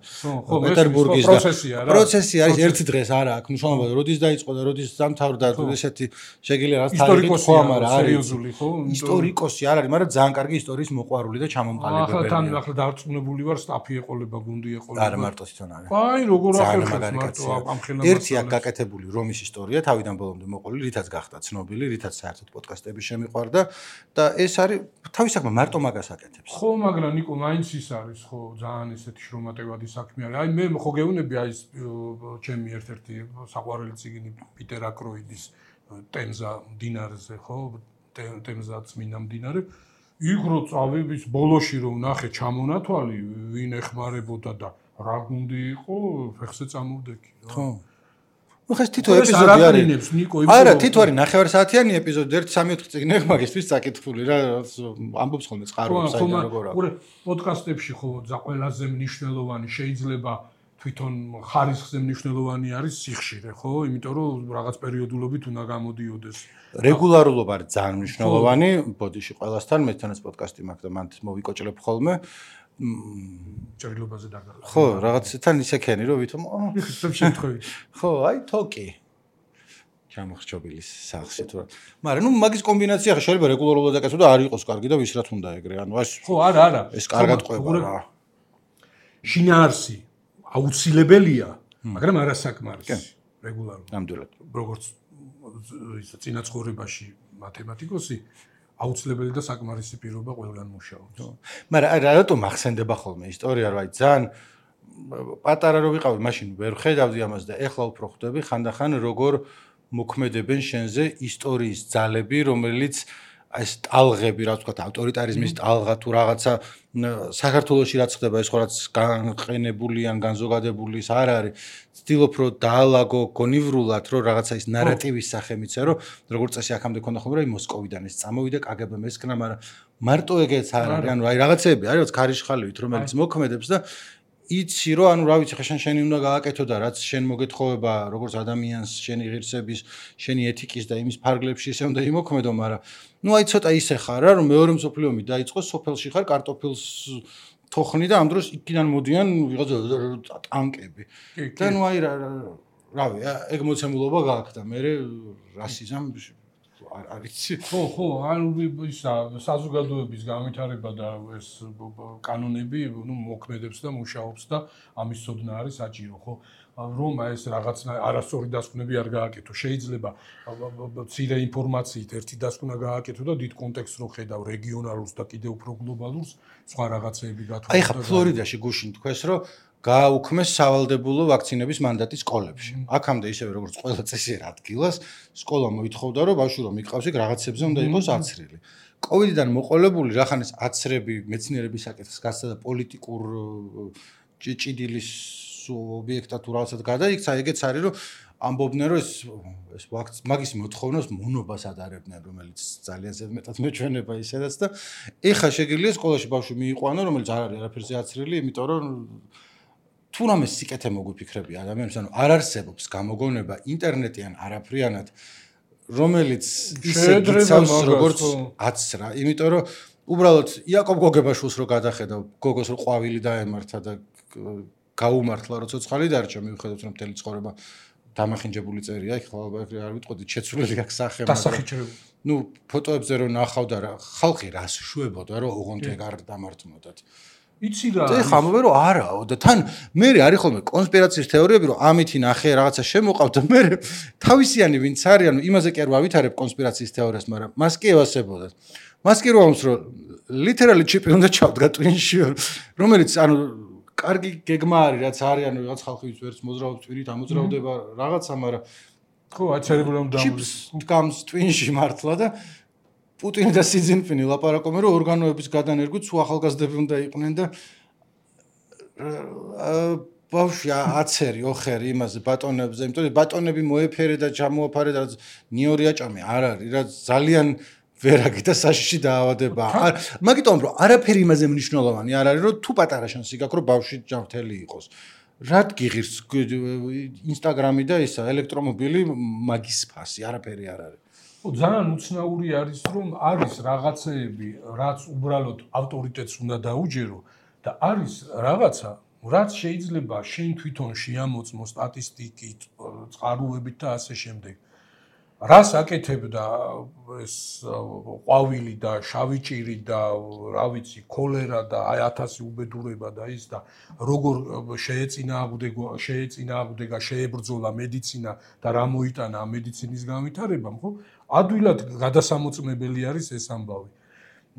პეტერბურგის პროცესი არის ერთი დღეს არა აქვს მნიშვნელობა, როდის დაიწყო და როდის დამთავრდა ესეთი შეგიძლია რაც თარიღი ხო, მაგრამ სერიოზული ხო? ისტორიკოსი არ არის, მაგრამ ძალიან კარგი ისტორიის მოყვარული და ჩამომყალიბებელი. ახლა დარწმუნებული ვარ, სტაფი ეყოლება, გუნდი ეყოლება. არა მარტო თვითონ არის. აი, როგორ ახერხებს მარტო ამ ხელნაწერს. ერთი აქ გაკეთებული რომის ისტორია თავიდან ბოლომდე მოყოლილი, რითაც გახდა ცნობილი, რითაც საერთოდ პოდკასტები შემიყვარდა და ეს არის თავის საქმე მარტო მაგას აკეთებს. ხო, მაგრამ ნიკო მაინც ის არის, ხო, ძალიან ესეთი შრომატევადი საქმე არის. აი მე ხო გეუბნები აი ეს ჩემი ერთ-ერთი საყვარელი წიგნი პიტერ აკროიდის ტემზა მდინარეზე, ხო? ტემზა წმინდა მდინარე. იქ რო წავიდის ბოლოში რომ ნახე ჩამონათვალი ვინ ეხმარებოდა და რა გუნდი იყო ფეხზე წამოვდექი რა ხო ну ხეს თითო ეპიზოდი არის ნიკო არა თითო არის 9 საათიანი ეპიზოდი 1-3-4 წიგნი მაგისთვის საკითხული რა ამბობს ხოლმე წყაროებს საიდან როგორ აქვს ხო პოდკასტებში ხო ყველაზე მნიშვნელოვანი შეიძლება თვითონ ხარისხზე მნიშვნელოვანი არის სიხშირე ხო იმიტომ რომ რაღაც პერიოდულობით უნდა გამოდიოდეს რეგულარულობა არის ძალიან მნიშვნელოვანი ბოდიში ყველასთან მეთანაც პოდკასტი მაქვს და მან მოვიკოჭლებ ხოლმე ჭრილობაზე დაგარგა ხო რაღაცთან ისე ქენი რომ ვითომ ხსნებ შემთხვევით ხო აი თოკი ჩამოხრჩობილის სახში თუ რა მაგრამ ნუ მაგის კომბინაცია ხა შეიძლება რეგულარულად დაკეთო და არ იყოს კარგი და ვის რა თუნდა ეგრე ანუ ეს ხო არა ეს კარგად ყვება რა შინაარსი აუცილებელია მაგრამ არასაკმარისი რეგულარულად ნამდვილად როგორც ის წინაცხოვრებაში მათემატიკოსი აუცილებელი და საკმარისი პირობა ყველგან მუშაობს. მაგრამ რატომ ახსენდება ხოლმე ისტორია რა ძალიან პატარა რო ვიყავი მაშინ ვერ ხედავდი ამას და ეხლა უფრო ხვდები ხანდახან როგორ მოქმედებენ შენზე ისტორიის ძალები რომელიც ეს ტალღები რა ვთქვათ ავტორიტარიზმის ტალღა თუ რაღაცა საქართველოში რაც ხდება ეს ხო რაც განყენებული ან განზოგადებული ის არ არის ცდილობ რომ დაალაგო გონივრულად რომ რაღაცა ის ნარატივის სახე მიცე რომ როგორც წესი აქამდე ქონდა ხოლმე რომ მოსკოვიდან ეს წამოვიდა კგბ-მ ესკნა მაგრამ მარტო ეგეც არ არის ანუ აი რაღაცეები არის რაც ქარიშხალივით რომელიც მოქმედებს და იცი რომ ანუ რა ვიცი ხა შენი უნდა გააკეთო და რაც შენ მოგეთხოვება როგორც ადამიანს შენი ღირსების შენი ეთიკის და იმის ფარგლებში ისე უნდა იმოქმედო მაგრამ ну აი ცოტა ისე ხარ რა რომ მეორე მსოფლიო ომი დაიწყო სოფელში ხარ კარტოფილს თოხნი და ამ დროს იქიდან მოდიან ვიღაცა ტანკები და ну აი რავი ეგ მოცემულობა გააქვს და მე რასიზმ არიცი ხო ანუ ისა საზოგადოების განვითარება და ეს კანონები ну მოქმედებს და მუშაობს და ამის ცოდნა არის საჭირო ხო რომ ეს რაღაცა არასწორი დასკვნები არ გააკეთო შეიძლება მცირე ინფორმაციით ერთი დასკვნა გააკეთო და დიდ კონტექსტს რო ხედავ რეგიონალურს და კიდევ უფრო გლობალურს სხვა რაღაცეები გათვალისწინებთ აი ხა ფლორიდაში გუშინ თქვეს რომ გააუქმეს სავალდებულო ვაქცინების მანდატი სკოლებში. აქამდე ისევე როგორც ყველა წესიერ ადგილას, სკოლა მოითხოვდა რომ ბავშვი რომ იყავს იქ რაღაცებზე უნდა იყოს აცრილი. კოვიდიდან მოყოლებული რახანეს აცრები მეცნიერების საკითხს გასცა და პოლიტიკურ ჭიდილის ობიექტად თუ რაღაცად გადაიქცა, ეგეც არის რომ ამბობდნენ რომ ეს მაგის მოთხოვნას მონობას ადარებდნენ, რომელიც ძალიან ზედმეტად მეჩვენება ისედაც და ეხა შეგიძლია სკოლაში ბავშვი მიიყვანო, რომელიც არ არის არაფერზე აცრილი, იმიტომ რომ თუ რამე სიკეთე მოგვიფიქრები ადამიანებს, ანუ არ არსებობს გამოგონება ინტერნეტიან არაფრიანად, რომელიც ისე გიცავს როგორც აცრა, იმიტომ რომ უბრალოდ იაკობ გოგებაშვილს რო გადახედა, გოგოს რო ყვავილი დაემართა და გაუმართლა რო ცოცხალი დარჩა, მიუხედავად რომ მთელი ცხოვრება დამახინჯებული წერია, იქ არ ვიტყოდი შეცვლილი აქვს სახე, მაგრამ ნუ ფოტოებზე რო ნახავდა რა, ხალხი რას შვებოდა, რომ ოღონდ ეგ არ დამართმოდათ. იცი რა და ხამობე რომ არაო და თან მე არის ხოლმე კონსპირაციის თეორიები რომ ამითი ნახე რაღაცა შემოყავ და მე თავისიანი ვინც არის ანუ იმაზე კი არ ვავითარებ კონსპირაციის თეორიას მაგრამ მას კი ევასებოდათ მას კი რომ ლიტერალი ჩიპი უნდა ჩავდგა ტვინში რომელიც ანუ კარგი გეგმა არის რაც არის ანუ რაღაც ხალხი ვერც მოძრაობს ტვინით ამოძრავდება რაღაცა მაგრამ ხო აჩერებული რომ ჩიპს დგამს ტვინში მართლა და პუტინი და სი ძინპინი ლაპარაკობენ რომ ორგანოების გადანერგვით სულ ახალგაზრდები უნდა იყვნენ და ბავშვი აცერი ოხერი იმაზე ბატონებზე იმიტომ რომ ბატონები მოეფერე და ჩამოაფარე და ნიორი აჭამე არ არის რა ძალიან ვერაგი და საშიში დაავადება მაგიტომ რომ არაფერი იმაზე მნიშვნელოვანი არ არის რომ თუ პატარა შანსი გაქვს რომ ბავშვი ჯანმრთელი იყოს რა გიღირს ინსტაგრამი და ისა ელექტრომობილი მაგის ფასი არაფერი არ არის ძალიან უცნაური არის რომ არის რაღაცეები რაც უბრალოდ ავტორიტეტს უნდა დაუჯერო და არის რაღაცა რაც შეიძლება შენ თვითონ შეამოწმო სტატისტიკით წყაროებით და ასე შემდეგ რას აკეთებდა ეს ყვავილი და შავი ჭირი და რა ვიცი ქოლერა და აი 1000 უბედურება და ის და როგორ შეეწინააღმდეგა შეებრძოლა მედიცინა და რა მოიტანა ამ მედიცინის განვითარებამ ხო ადვილად გადასამოწმებელი არის ეს ამბავი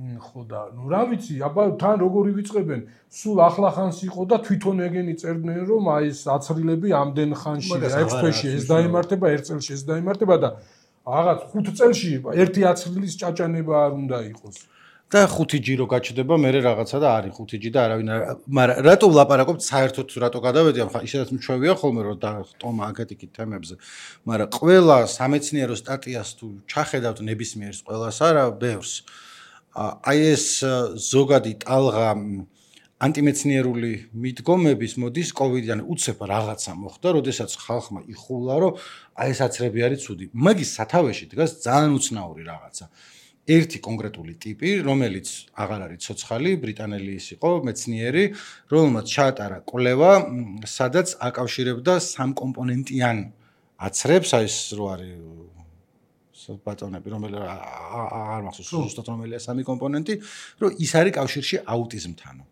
ხო და ნუ რა ვიცი აბა თან როგორი ვიწყებენ სულ ახლახანს იყო და თვითონ ეგენი წერდნენ რომ აი ეს აცრილები ამდენ ხანში და 6 თვეში ეს დაემართება 1 წელში ეს დაემართება და რაღაც 5 წელში ერთი აცრილის ჭაჭანება არ უნდა იყოს და 5G რო გაჩნდება, მე რაღაცა და არის 5G და არავინ არ, მაგრამ რატო ვლაპარაკობთ საერთოდ რატო გადავედი, ახლა ისედაც მჩვევია ხოლმე რომ და ტომა აკეთიკით თემებზე, მაგრამ ყველა სამეცნიერო სტატიას თუ ჩახედავთ ნებისმიერს ყველას არა, ბევრს. აი ეს ზოგადი ტალღა ანტიმეცნიერული მიდგომების მოდის კოვიდიდან უცებ რაღაცა მოხდა, როდესაც ხალხმა იხულა, რომ აი ეს აცრები არის ცუდი. მაგის სათავეში დგას ძალიან უცნაური რაღაცა. ერთი კონკრეტული ტიპი, რომელიც აღარ არის ცოცხალი, ბრიტანელი ის იყო, მეცნიერი, რომელმაც ჩაატარა კვლევა, სადაც აკავშირებდა სამკომპონენტიან აცრებს, აი ეს რო არის ბატონები, რომელიც აღარ მახსოვს ზუსტად რომელია სამი კომპონენტი, რომ ის არის კავშირში აუტიზმთანო.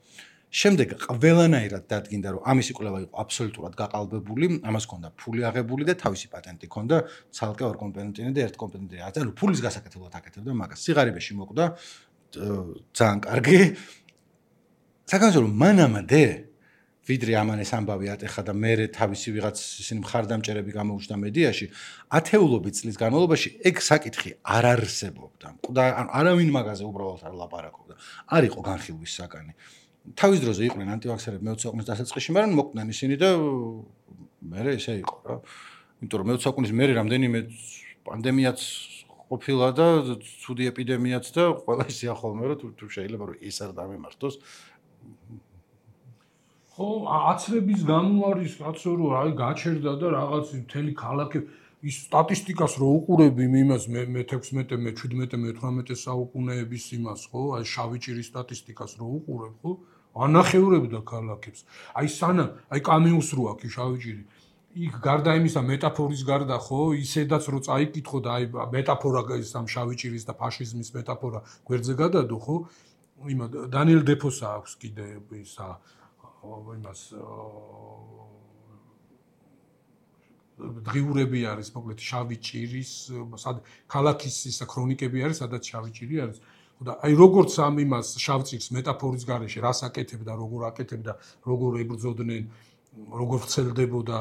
შემდეგ ყველანაირად დადგინდა, რომ ამისი კვლევა იყო აბსოლუტურად გაყალბებული, ამას ჰქონდა ფული აღებული და თავისი პატენტი ჰქონდა, ცალკე ორ კომპონენტიანი და ერთ კომპონენტიანი. ანუ ფულის გასაკეთებლად აკეთებდა მაგას. სიღარიბეში მოკვდა ძალიან კარგი. საკანონმდებლო რომ მანამდე ვიდრე ამან ეს ამბავი ატეხა და მე თავისი ვიღაც ისინი მხარდამჭერები გამოუჩნდა მედიაში, ათეულობით წლის განმავლობაში ეგ საკითხი არ არსებობდა. ანუ არავინ მაგაზე უბრალოდ არ ლაპარაკობდა. არ იყო განხილვის საკანი. თავის დროზე იყვნენ ანტივაქსერები მე-20 საუკუნის დასაწყისში, მაგრამ მოკვდნენ ისინი და მე ესე იყო რა. იმიტომ რომ მე-20 საუკუნის მერე რამდენიმე პანდემიაც ყოფილა და ცუდი ეპიდემიაც და ყველა ისეა ხოლმე რომ თუ შეიძლება რომ ეს არ დამემართოს. ხო, აცრების გამო არის კაცო რომ აი გაჩერდა და რაღაც მთელი ქალაქი ის სტატისტიკას რო უყურები იმას მე-16, მე-17, მე-18 საუკუნეების იმას, ხო? აი შავი ჭირის სტატისტიკას რო უყურებ, ხო? ანახევრებდა ქალაქებს. აი სანამ, აი კამიუს რო აქვს შავი ჭირი. იქ გარდა იმისა მეტაფორის გარდა, ხო, ისედაც რო წაიკითხო და აი მეტაფორა ის ამ შავი ჭირის და ფაშიზმის მეტაფორა გვერდზე გადადო, ხო? იმა დანიელ დეფოსა აქვს კიდე ისა იმას დღიურები არის, მოკლედ შავი ჭირის, ქალაქის ისა ქრონიკები არის, სადაც შავი ჭირი არის. და აი როგორც ამ იმას შავ ჭირს მეტაფორის გარეშე რას აკეთებდა, როგორ აკეთებდა, როგორ ებრძოდნენ, როგორ ვრცელდებოდა.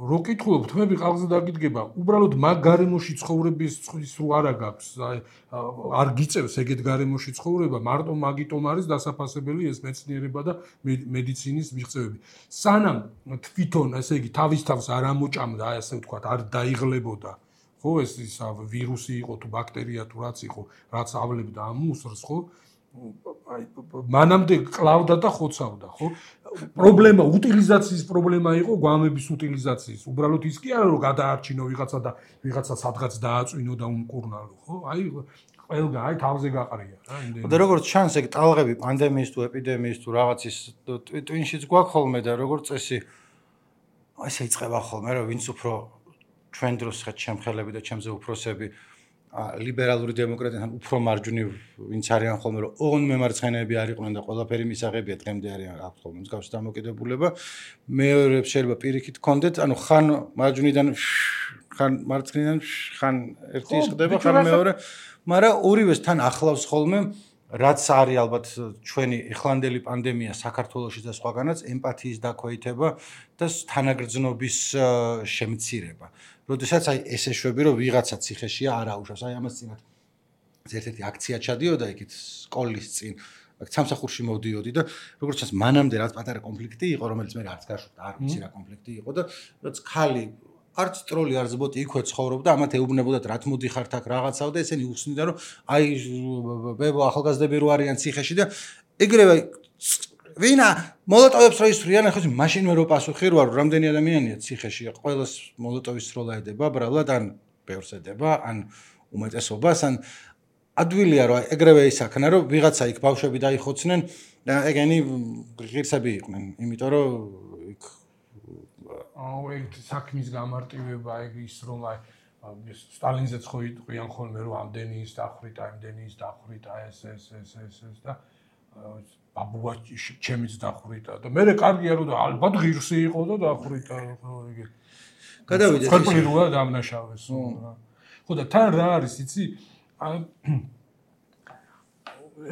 რო კითხულობ, თმები ყალზე დაგიდგება, უბრალოდ მაგ გარემოში ცხოვრების ის რო არა გაქვს, არ გიწევს ეგეთ გარემოში ცხოვრება, მარტო მაგიტომ არის დასაფასებელი ეს მეცნიერება და მედიცინის მიღწევები. სანამ თვითონ, ესე იგი, თავის თავს არ ამოჭამდა, აი ასე ვთქვათ, არ დაიღლებოდა, ხო, ეს ვირუსი იყო თუ ბაქტერია თუ რაც იყო, რაც ავლებდა ამ უსრს, ხო? აი მანამდე კლავდა და ხოცავდა, ხო? პრობლემა უტილიზაციის პრობლემა იყო, გვამების უტილიზაციის. უბრალოდ ის კი არა რომ გადაარჩინო ვიღაცა და ვიღაცა სადღაც დააწვინო და უმკურნალო, ხო? აი ყველგან აი თავზე გაყრია რა იმდენი. და როგორც ჩანს, ეგ ტალღები პანდემიის თუ ეპიდემიის თუ რაღაცის ტვინშიც გვაქვს ხოლმე და როგორც წესი ესე იწყება ხოლმე რომ ვინც უფრო ჩვენ დროს ხეთ შემხელები და ჩემზე უფროსები ლიბერალური დემოკრატიიდან უფრო მარჯვნივ ვინც არიან ხოლმე რომ ოღონდ მემარცხენეები არ იყვნენ და ყველაფერი მისაღებია დღემდე არიან აქვს ხოლმე მსგავსი დამოკიდებულება მეორებს შეიძლება პირიქით გქონდეთ ანუ ხან მარჯვნიდან ხან მარცხნიდან ხან ერთი ისხდება ხან მეორე მაგრამ ორივეს თან ახლავს ხოლმე რაც არის ალბათ ჩვენი ეხლანდელი პანდემია საქართველოში და სხვაგანაც ემპათიის დაქვეითება და თანაგრძნობის შემცირება. როდესაც აი ესე შვები რომ ვიღაცა ციხეშია არ აუშვებს. აი ამას წინათ ერთ-ერთი აქცია ჩადიოდა იქით სკოლის წინ სამსახურში მოვდიოდი და როგორც ჩანს მანამდე რაც პატარა კონფლიქტი იყო რომელიც მე არც გაშვდა არ ვიცი რა კონფლიქტი იყო და რაც ხალი არც ტროლი არც ბოტი იქვე ცხოვრობდა ამათ ეუბნებოდათ რა თმოდიხართ აქ რაღაცაო და ესენი უსნიდა რომ აი ბებო ახალგაზრდები რო არიან ციხეში და ეგრევე ვინა მოლოტოვებს რო ისვრიან ახლა მაშინ მე რო პასუხი რო არ რამდენი ადამიანია ციხეში ყველას მოლოტოვის სროლა ედება ბრალად ან ბევრს ედება ან უმეტესობას ან ადვილია რომ ეგრევე ისაქნა რომ ვიღაცა იქ ბავშვები დაიხოცნენ და ეგენი ღირსები იყვნენ იმიტომ რომ იქ აუ ეგ საქმის გამარტივება ეგ ის რომ აი სტალინზეც ხო იყვიან ხოლმე რომ ამდენი ის დახვრიტა ამდენი ის დახვრიტა ეს და ბაბუა ჩემიც დახვრიტა და მე კარგია რომ ალბათ ღირსი იყო და დახვრიტა ეგ გადავიდეთ ხერხული როა დამნაშავეს ხო და თან რა არის იცი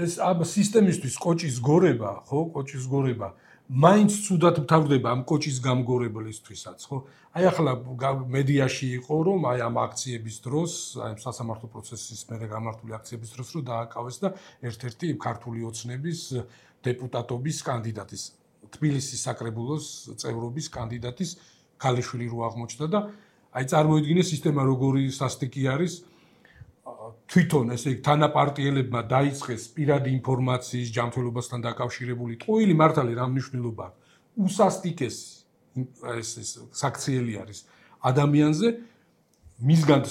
ეს ამ სისტემისთვის კოჭის გორება ხო კოჭის გორება მაინც ცუდად მთავრდება ამ კოჭის გამგორებლისთვისაც, ხო? აი ახლა მედიაში იყო, რომ აი ამ აქციების დროს, აი სასამართლო პროცესის მერე გამართული აქციების დროს რომ დააკავეს და ერთ-ერთი ქართული ოცნების დეპუტატობის კანდიდატის, თბილისის საკრებულოს წევრობის კანდიდატის ქალიშვილი რო აღმოჩნდა და აი წარმოიდგინე სისტემა როგორი სასტიკი არის თვითონ ესე იგი თანაპარტიელებმა დაიწყეს პირადი ინფორმაციის ჯანმრთელობასთან დაკავშირებული ტყუილი მართალი რა მნიშვნელობა უსასტიკეს ეს საქციელი არის ადამიანზე მისგან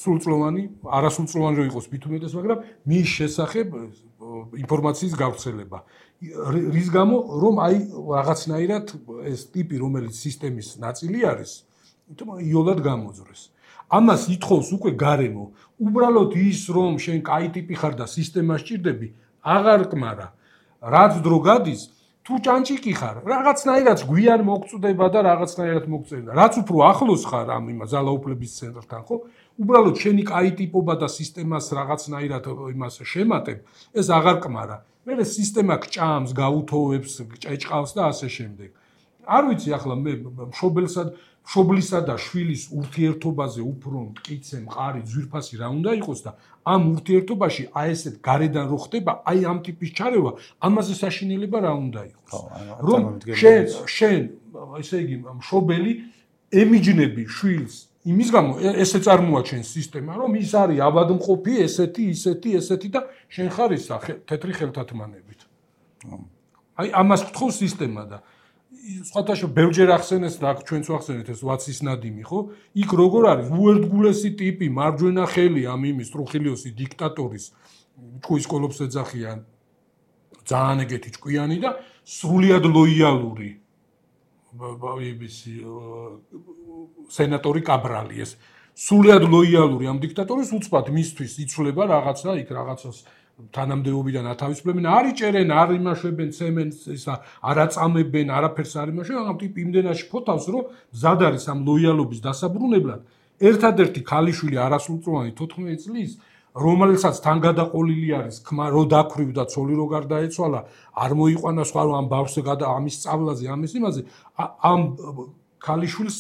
სრულწლოვანი არასრულწლოვანი რო იყოს მithumetes მაგრამ მის შესახებ ინფორმაციის გავრცელება რის გამო რომ აი რაღაცნაირად ეს ტიპი რომელიც სისტემის ნაწილი არის იოლად გამოძრეს ამას ითხოვს უკვე გარემო უბრალოდ ის რომ შენ კაი ტიპი ხარ და სისტემა სჭირდები აღარ კმარა რაც დრო გადის თუ ჭანჭიკი ხარ რაღაცნაირად გვიან მოგწდება და რაღაცნაირად მოგწევდა რაც უფრო ახლოს ხარ ამ ძალაუფლების ცენტრთან ხო უბრალოდ შენი კაი ტიპობა და სისტემას რაღაცნაირად იმას შემატებ ეს აღარ კმარა მე სისტემა გჭამს გაუთოვებს ჭეჭყავს და ასე შემდეგ არ ვიცი ახლა მე მშობლისა და შვილის ურთიერთობაზე უფრო მტკიცე მყარი ძვირფასი რა უნდა იყოს და ამ ურთიერთობაში აი ესეთ გარედან რო ხდება აი ამ ტიპის ჩარევა ამაზე საშინელება რა უნდა იყოს რომ შენ ესე იგი მშობელი ემიჯნები შვილს იმის გამო ესე წარმოაჩენს სისტემა რომ ის არის ავადმყოფი ესეთი და შენ ხარ ისა თეთრი ხელთათმანებით აი ამას გთხოვს სისტემა და სხვათაშო ბევრჯერ ახსენეს და ჩვენც ვახსენეთ ეს ვაცის ნადიმი ხო იქ როგორ არის უერთგულესი ტიპი მარჯვენა ხელი ამ იმის ტრუხილიოსის დიქტატორის ჭკუის კოლოფს ეძახიან ძალიან ეგეთი ჭკვიანი და სრულიად ლოიალური სენატორი კაბრალი ეს სრულიად ლოიალური ამ დიქტატორის უცბად მისთვის იცვლება რაღაცა იქ რაღაცას თანამდებობიდან ათავისუფლებენ, არ იჭერენ, არ იმაშვებენ ცემენტს, ისა არ აწამებენ, არაფერს არ იმაშვებენ, ამ ტიპ იმდენაში ფოთავს, რომ მზად არის ამ ლოიალობის დასაბრუნებლად. ერთადერთი ქალიშვილი არასრულწლოვანი 14 წლის, რომელსაც თან გადაყოლილი არის ქმა, რო დაქრივდა, ცოლი რო გარდაეცვალა, არ მოიყვანა სხვა რომ ამ ბავშვს ამის სწავლაზე, ამის იმაზე, ამ ქალიშვილს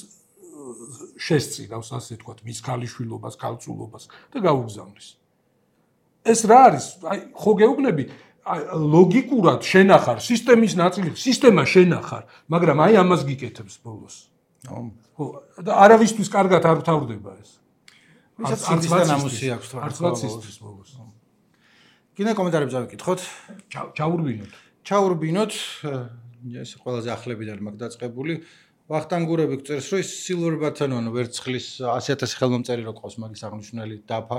შესწირავს, ასე თქვა, მის ქალიშვილობას, ქალწულობას და გაუგზავნის. ეს რა არის? აი, ხო გეუბნები, ლოგიკურად შენახარ, სისტემის ნაწილი, სისტემა შენახარ, მაგრამ აი ამას გიკეთებს ბოლოს. ხო, და არავისთვის კარგად არ თავდება ეს. ვისაც სისტემის ნამუსი აქვს თქო. არც ვაცისთვის ბოლოს. კიდე კომენტარები დავიკითხოთ. ჩაურბინოთ. ეს ყველაზე ახლებიდან მაქვს დაწყებული. ვახტანგურები გწერს, რომ ის silver button-ო ვერცხლის 100,000 ხელმომწერი რო ყავს მაგის აღნიშნული დაფა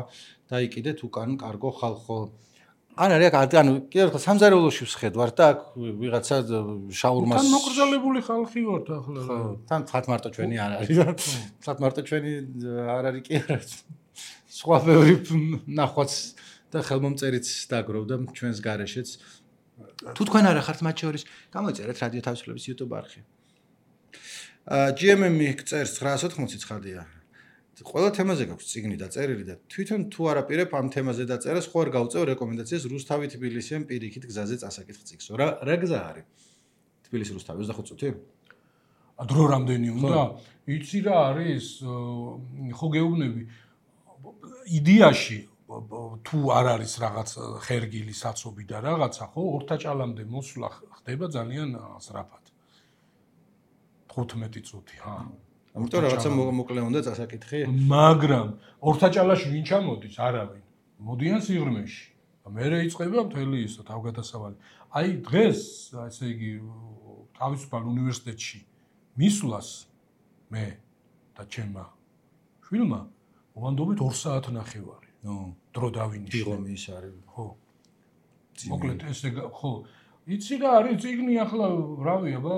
დაიკიდეთ უკან კარგო ხალხო. ან არის ანუ კიდევ ერთხელ სამზარეულოში ვსხედვარ და აქ ვიღაცა შაურმას თან მოკრძალებული ხალხი ვართ ახლა. თან თხათ მარტო ჩვენი არ არის. თხათ მარტო ჩვენი არ არის კი არა. სხვა ბევრი ნახვაც და ხელმომწერიც დაგროვდა ჩვენს გარეშეც. თუ თქვენ არა ხართ მათ შორის, გამოიწერეთ რადიო თავისუფლების YouTube არხი. GMM წერს 980 ცხადია. ყველა თემაზე გაქვს წიგნი და წერილი და თვითონ თუ არაპირებ ამ თემაზე დაწერას, ხო არ გავწევ რეკომენდაციას რუსთავი თბილისიდან პირიქით გზაზე წასაკითხ წიგნს. რა გზა არის? თბილისი რუსთავი 25 წუთი? დრო რამდენი უნდა? იცი რა არის? ხო გეუბნები. იდეაში თუ არ არის რაღაც ხერგილი საცობი და რაღაცა, ხო, ორთაჭალამდე მოსვლა ხდება ძალიან სწრაფად. 15 წუთი, ჰა. ამიტომ რაღაცა მოკლე უნდა წასაკითხი. მაგრამ ორთაჭალაში ვინ ჩამოდის? არავინ. მოდიან სიღრმეში. მერე იწყება მთელი ისო თავგადასავალი. აი დღეს, ესე იგი, თავისუფალ უნივერსიტეტში მისვლას მე და ჩემმა შვილმა მოვანდობით 2 საათნახევარი. დრო დავინიშნე. დიღომი ის არის. ხო. მოკლედ ესე ხო. იცი რა არის წიგნი ახლა რავია, ბა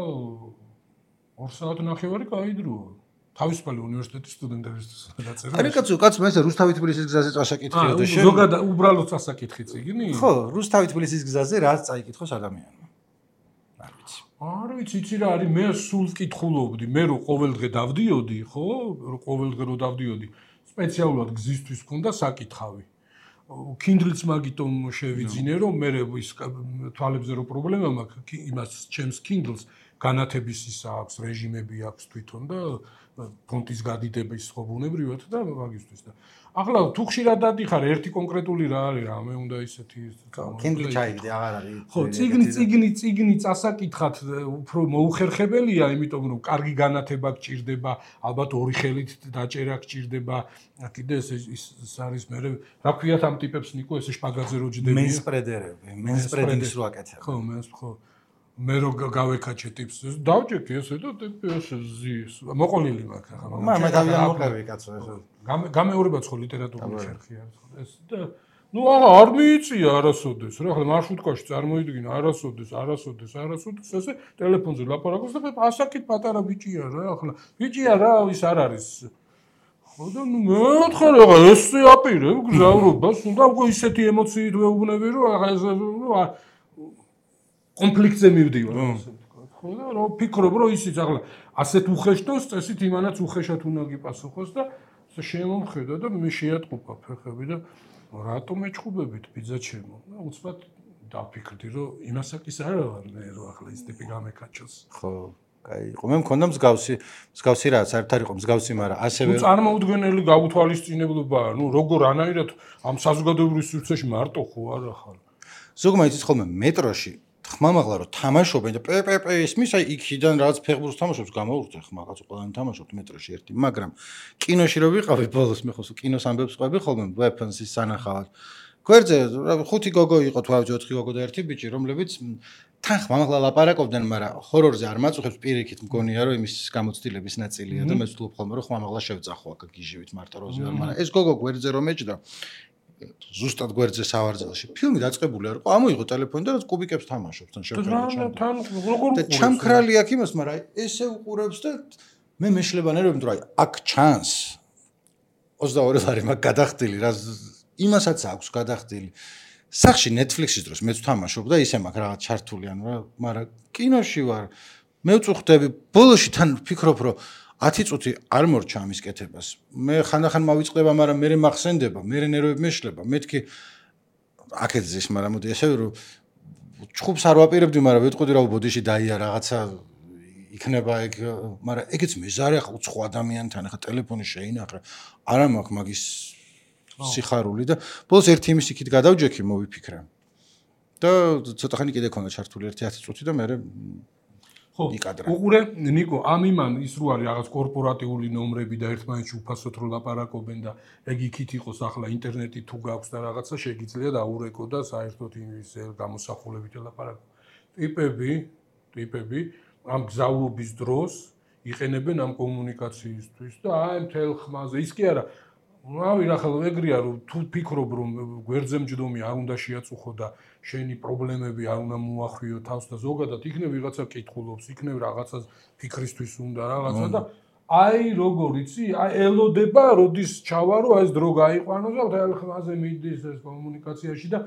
2 საათნახევარი კაი დროა. თავისუფალი უნივერსიტეტის სტუდენტებისთვის დაწერა. აი კაცო, მე რუსთავი თბილისის გზაზე წასაკითხია და შენ. ზოგადად უბრალოდ წასაკითხი წიგნი? ხო, რუსთავი თბილისის გზაზე რაც წაიკითხოს ადამიანმა. არ ვიცი, იცი რა არის, მე სულ ვკითხულობდი, მე რო ყოველდღე დავდიოდი, ხო? რო ყოველდღე რო დავდიოდი, სპეციალურად გზისთვის მქონდა საკითხავი. Kindle-ს მაგიტომ შევიძინე, რომ მე ის თვალებზე რო პრობლემა მაქვს, იმას ჩემს Kindle-ს განათების ის აქვს, რეჟიმები აქვს თვითონ და ფონტის გადიდების ხო ბუნებრივად და მაგისთვის და ახლა თუ ხშირად დადიხარ ერთი კონკრეტული რა არის რა მე უნდა ისეთი Kindle ჩაიგდე აღარ არის ხო წიგნი წასაკითხად უფრო მოუხერხებელია იმიტომ რომ კარგი განათება გჭირდება ალბათ ორი ხელით დაჭერა გჭირდება კიდე ეს არის მე რა ქვიათ ამ ტიპებს ნიკო ესე შპაგაძე რო ჯდებიან მენსპრედინგს რო აკეთებ ხო მე რო გავეკაჩე ტიპს დავჭექი ესე და ესე ზის მოყოლილი მაქვს ახლა მე თავიდან მოყევი კაცო ესე გამეორებაც ხო ლიტერატურული ხერხი არის ეს და ნუ არ მიიწია არასოდეს რა ახლა მარშრუტკაში წარმოიდგინე არასოდეს ესე ტელეფონზე ლაპარაკობს და ასაკით პატარა ბიჭია რა ახლა ბიჭია რა ის არ არის ხო და ნუ მეოთხე რა ესე აპირებ გზავრობას უნდა უკვე ისეთი ემოციით ვეუბნები რომ ახლა კონფლიქტზე მივდივარ ასე ვთქვა ხო და რა ფიქრობ რომ ისიც ახლა ასეთ უხეშტოს წესით იმანაც უხეშად უნდა გიპასუხოს და შემომხედა და მე შეატყუპა ფეხები და რატომ ეჭხუბებით ბიძა ჩემო და უცბად დაფიქრდი რომ იმასაკის არ ვარ მე რომ ახლა ის ტიპი გამეკაჩოს ხო კაი იყო მე მქონდა მსგავსი რაც საერთოდ არ იყო მსგავსი მაგრამ ასევე ნუ წარმოუდგენელი გაუთვალისწინებლობაა ნუ როგორ ანაირად ამ საზოგადოებრივ სივრცეში მარტო ხო არ ახალ ზოგმა იცის ხოლმე მეტროში ხმამაღლა რომ თამაშობენ და ისმის აი იქიდან რაღაც ფეხბურთს თამაშობს გამოვურდე ხმაღაც ყველანი თამაშობთ მეტროში ერთი მაგრამ კინოში რო ვიყავი ბოლოს მე ხო კინოს ამბებს ყვები ხოლმე weapons-ის სანახავად გვერდზე 5 გოგო იყო თუ 4 გოგო და ერთი ბიჭი რომლებიც თან ხმამაღლა ლაპარაკობდნენ მაგრამ ჰორორზე არ მაწუხებს პირიქით მგონია რომ იმის გამოცდილების ნაწილია და მე ვთვლობ ხოლმე რომ ხმამაღლა შევწახო აქ გიჟივით მარტო როზე არ მაგრამ ეს გოგო გვერდზე რომ ეჭდა ზუსტად გვერდზე სავარძელში ფილმი დაწყებული არ იყო ამოიღო ტელეფონი და რაც კუბიკებს თამაშობს თან შევხედე თან როგორ და ჩამქრალი აქ იმას მაგრამ ესე უყურებს და მე მეშლებანერები რომ აი აქ ჩანს 22 ლარი მაგ გადახდილი რა იმასაც აქვს გადახდილი სახში Netflix-ის დროს მეც ვთამაშობ და ისე მაგ რაღაც ჩართული ანუ რა მაგრამ კინოში ვარ მე ვწუხდები ბოლოში თან ვფიქრობ რომ 10 წუთი არ მორჩა ამის კეთებას. მე ხანდახან მავიწყდება, მაგრამ მე მახსენდება, მე ნერვები მეშლება. მეთქი აქეთ ზის, მაგრამ მოდი ესე რომ ჩხუბს არ ვაპირებდი, მაგრამ ვეთყოდი რა ბოდიში დაია რაღაცა იქნება ეგ, მაგრამ ეგეც მეზარე ახლა უცხო ადამიანთან ახლა ტელეფონი შეინახე. არა მაქვს მაგის სიხარული და ბოლოს ერთი იმის იქით გადავჯექი, მოვიფიქრე. და ცოტა ხანი კიდე ქონდა ჩართული ერთი 10 წუთი და მე ხო, უყურე ნიკო, ამ იმან ის რო არის რაღაც კორპორატიული ნომრები და ერთმანეთში უფასოდ რო ლაპარაკობენ და ეგ იქით იყოს ახლა ინტერნეტი თუ გაქვს და რაღაცა შეგიძლია დაურეკო და საერთოდ იმის გამოსახულებით ლაპარაკო. ტიპები ამ გზავრობის დროს იყენებენ ამ კომუნიკაციისთვის და აი მთელ ხმაზე ის კი არა რავი ახლა ეგრეა რომ თუ ფიქრობ რომ გვერდზე მჯდომი არ უნდა შეაწუხო და შენი პრობლემები არ უნდა მოახვიო თავს და ზოგადად იქნებ ვიღაცა კითხულობს იქნებ რაღაცას ფიქრისთვის უნდა რაღაცა და აი როგორ იცი აი ელოდება როდის ჩავარო აი ეს დრო გაიყვანო და მთელ ხმაზე მიდის ეს კომუნიკაციაში და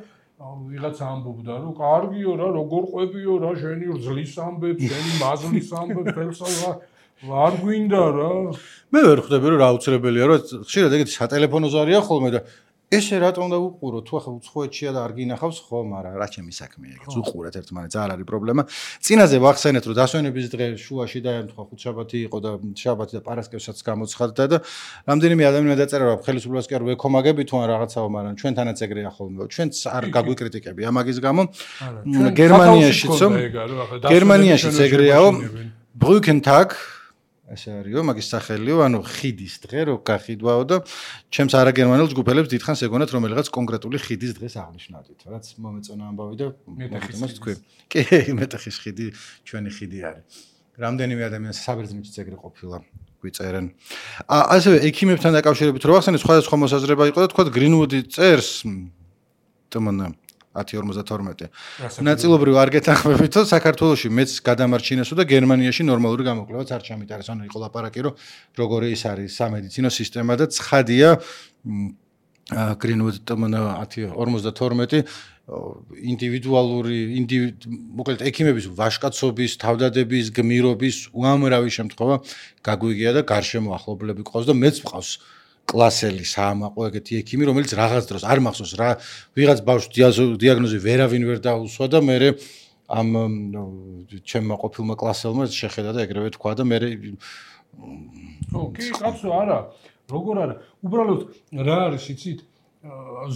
ვიღაცა ამბობდა რომ კარგიო რა როგორ ყვებიო რა შენი რძლის ამბებს შენი მაზლის ამბებს თელსა არ გვინდა რა მე ვერ ხვდები რომ რა აუცილებელია რომ ხშირად ეგეთი სატელეფონო ზარია ხოლმე და ესე რატომ და უყურო თუ ახლა უცხოეთშია და არ გინახავს ხო მაგრამ რა ჩემი საქმეა ეგეც უყურეთ ერთმანეთს არ არის პრობლემა წინაზე ვახსენეთ რომ დასვენების დღე შუაში და თქვა ხუთშაბათი იყო და შაბათი და პარასკევსაც გამოცხადდა და რამდენიმე ადამიანი დაწერა რომ ხელისუფლებას კი არ ვეკომაგები თუ ან რაღაცაო მაგრამ ჩვენთანაც ეგრეა ხოლმე ჩვენც არ გაგვიკრიტიკები ამაგის გამო გერმანიაშიც ეგრეაო ბრუკენტაგ ასე არისო, მაგის სახელიო, ანუ ხიდის დღე, რო გაყიდვაო და ჩემს არაგერმანელ ჯგუფელებს დიდხანს ეგონათ რომელიღაც კონკრეტული ხიდის დღეს აღნიშნავდით, რაც მომეწონა ამბავი და მეტეხის თქვი. კი, მეტეხის ხიდი ჩვენი ხიდი არის. რამდენიმე ადამიანს საბერძნეთშიც ეგრე ყოფილა გვიწერენ. ასევე ექიმებთან დაკავშირებით რო ახსენე, სხვადასხვა მოსაზრება იყო და თქვა გრინვუდი წერს თმონა 1052. ნაწილობრივ არ გეთანხმებითო საქართველოში მეც გადამარჩინესო და გერმანიაში ნორმალური გამოკვლევაც არ ჩამიტარეს. ანუ იყო ლაპარაკი რომ როგორი ის არის სამედიცინო სისტემა და ცხადია გრინვუდ თმონა 1052 ინდივიდუალური მოკლედ ექიმების ვაჟკაცობის, თავდადების, გმირობის უამრავი შემთხვევა გაგვიგია და გარშემო ახლობლები ყავს და მეც მყავს კლასელი საამაყო ეგეთი ექიმი, რომელიც რაღაც დროს არ მახსოვს რა, ვიღაც ბავშვს დიაგნოზი ვერავინ ვერ დაუსვა და მე ამ ჩემმა ყოფილმა კლასელმა შეხედა და ეგრევე თქვა და მე კი, კაცო, არა, როგორ არა. უბრალოდ რა არის, იცით?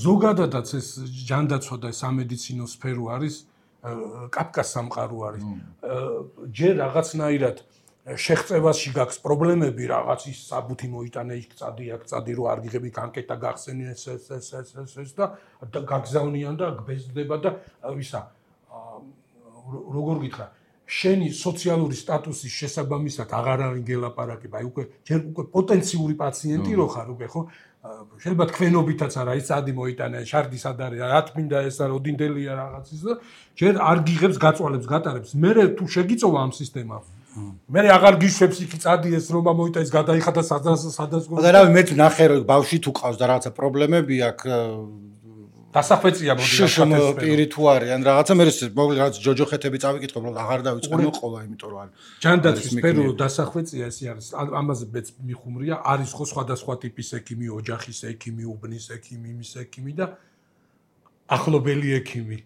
ზოგადადაც ეს ჯანდაცვა და სამედიცინო სფერო არის კაფკას სამყარო არის. ჯერ რაღაცნაირად შეღწევაში გაქვს პრობლემები, რაღაც ის საბუთი მოიტანე, იქ წადი, აქ წადი, რო არ გიღები განკეტა გახსენი ეს და გაგზავნიან და გბეზდება და ვისა როგორ გითხრა შენი სოციალური სტატუსის შესაბამისად აღარ არის გელაპარაკება, აი უკვე პოტენციური პაციენტი რო ხარ უკვე ხო შეიძლება თქვენობითაც არა ის წადი მოიტანე, შარდი სად არის, რა თმინდა ეს რა ოდინდელია რაღაცის და ჯერ არ გიღებს გაწვალებს გატარებს. მე თუ შეგიწოვა ამ სისტემას მე აღარ გიშვებს იქ წადი ეს რომ მოიტა ის გადაიხადა სადაც და რავი მეც ნახე რომ ბავშვი თუ ყავს და რაღაცა პრობლემები აქვს დასახვეწია მოდი პირი თუ არიან რაღაცა მე მოგli რაღაც ჯოჯოხეთები წავიკითხო რომ აღარ დავიწყე მოყოლა იმიტომ რომ ჯანდაცვის სფერო დასახვეწია ესე არის ამაზე მეც მიხუმრია არის ხო სხვადასხვა ტიპის ექიმი ოჯახის ექიმი უბნის ექიმი იმის ექიმი და ახლობელი ექიმი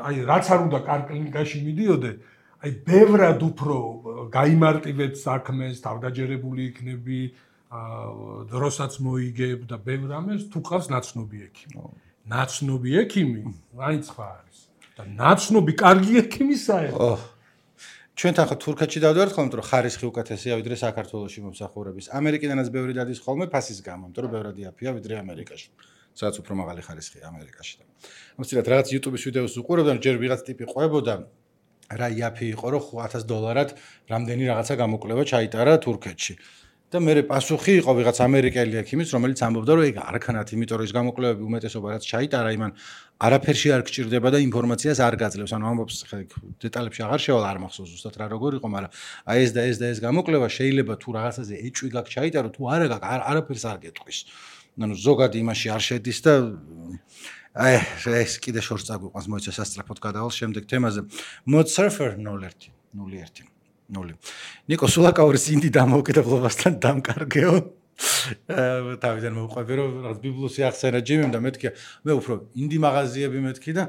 აი რაც არ უნდა კარ კლინიკაში მიდიოდე აი ბევრად უფრო გაიმარტივებ საქმეს, თავდაჯერებული იქნები, დროსაც მოიგებ და ბევრ ამას თუ ყავს ნაცნობი ექიმი. ნაცნობი ექიმი, მაინც ხარ არის. და ნაცნობი კარგი ექიმი საერთოდ. ჩვენთან ხო თურქეთში დავდივართ ხოლმე, რომ ხარისხი უკეთესია ვიდრე საქართველოში მომსახურების. ამერიკიდანაც ბევრი დადის ხოლმე ფასის გამო, იმიტომ რომ ბევრად იაფია ვიდრე ამერიკაში. სადაც უფრო მაღალი ხარისხია ამერიკაში. ამიტომ რაღაც YouTube-ის ვიდეოს უყურებდა, ჯერ ვიღაც ტიპი ყვებოდა რა იაფი იყო რომ $1000 რამდენი რაღაცა გამოკლება ჩაიტარა თურქეთში. და მე პასუხი იყო ვიღაც ამერიკელი ექიმის, რომელიც ამბობდა რომ ეგ არქანათ, იმიტომ რომ ის გამოკლებები უმეტესობა რაც ჩაიტარა, იმან არაფერში არ გჭირდება და ინფორმაციას არ გაძლევს. ანუ ამბობს დეტალებში აღარ შევალ არ მახსოვს ზუსტად რა როგორ იყო, მაგრამ აი ეს გამოკლება შეიძლება თუ რაღაცაზე ეჭვი გაქვს ჩაიტარო, თუ არა გაქვს არაფერს არ გეტყვის. ანუ ზოგადი იმაში არ შედის და აი ეს კიდე შორს წაგვიყვანს მოიცა სასწრაფოდ გადავალ შემდეგ თემაზე Mod Surfer 01 ნიკო სულაკაურის ინდი დამოუკიდებლობასთან დამკარგეო თავიდან მოვყვები რომ რაღაც ბიბლოსი ახსენა ჯიმიმ და მეთქი მე უფრო ინდი მაღაზიები მეთქი და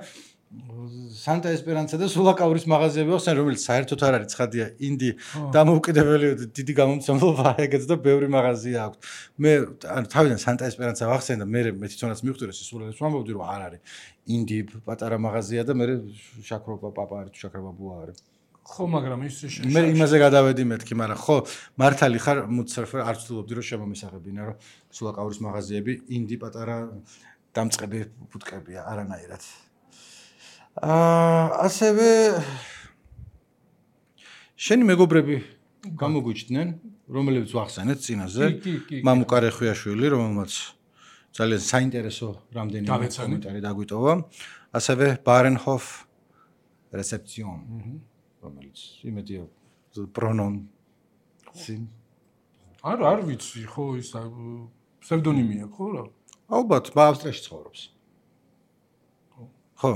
სანტა ესპერანსა და სულაკაურის მაღაზიები ახსენ რომელიც საერთოდ არ არის ცხადია ინდი დამოუკიდებელი დიდი გამომცემლობა ეგეც და ბევრი მაღაზია აქვს მე ანუ თავიდან სანტა ესპერანსა ვახსენ და მე თვითონაც მივხვდი რომ სულელებს ვამბობდი რომ არ არის ინდი პატარა მაღაზია და მე შაქრობა პაპა არის თუ შაქრობა ბუა არის ხო მაგრამ ის მე იმაზე გადავედი მეთქი მაგრამ ხო მართალი ხარ მუცერფერ არ ვცდილობდი რომ შემომისაღებინა რომ სულაკაურის მაღაზიები ინდი პატარა დამწყები ბუტკებია არანაირად ასევე შენი მეგობრები გამოგვიჩნდნენ, რომლებიც ვახსენეთ წინაზე, მამუკა რეხვიაშვილი, რომელმაც ძალიან საინტერესო რამდენიმე კომენტარი დაგვიტოვა, ასევე ბარენჰოფ რეცეპციონ, რომელიც იმედია პრონონსი არ ვიცი, ხო ის ფსევდონიმია, ხო რა? ალბათ, ავსტრიაში ცხოვრობს. ხო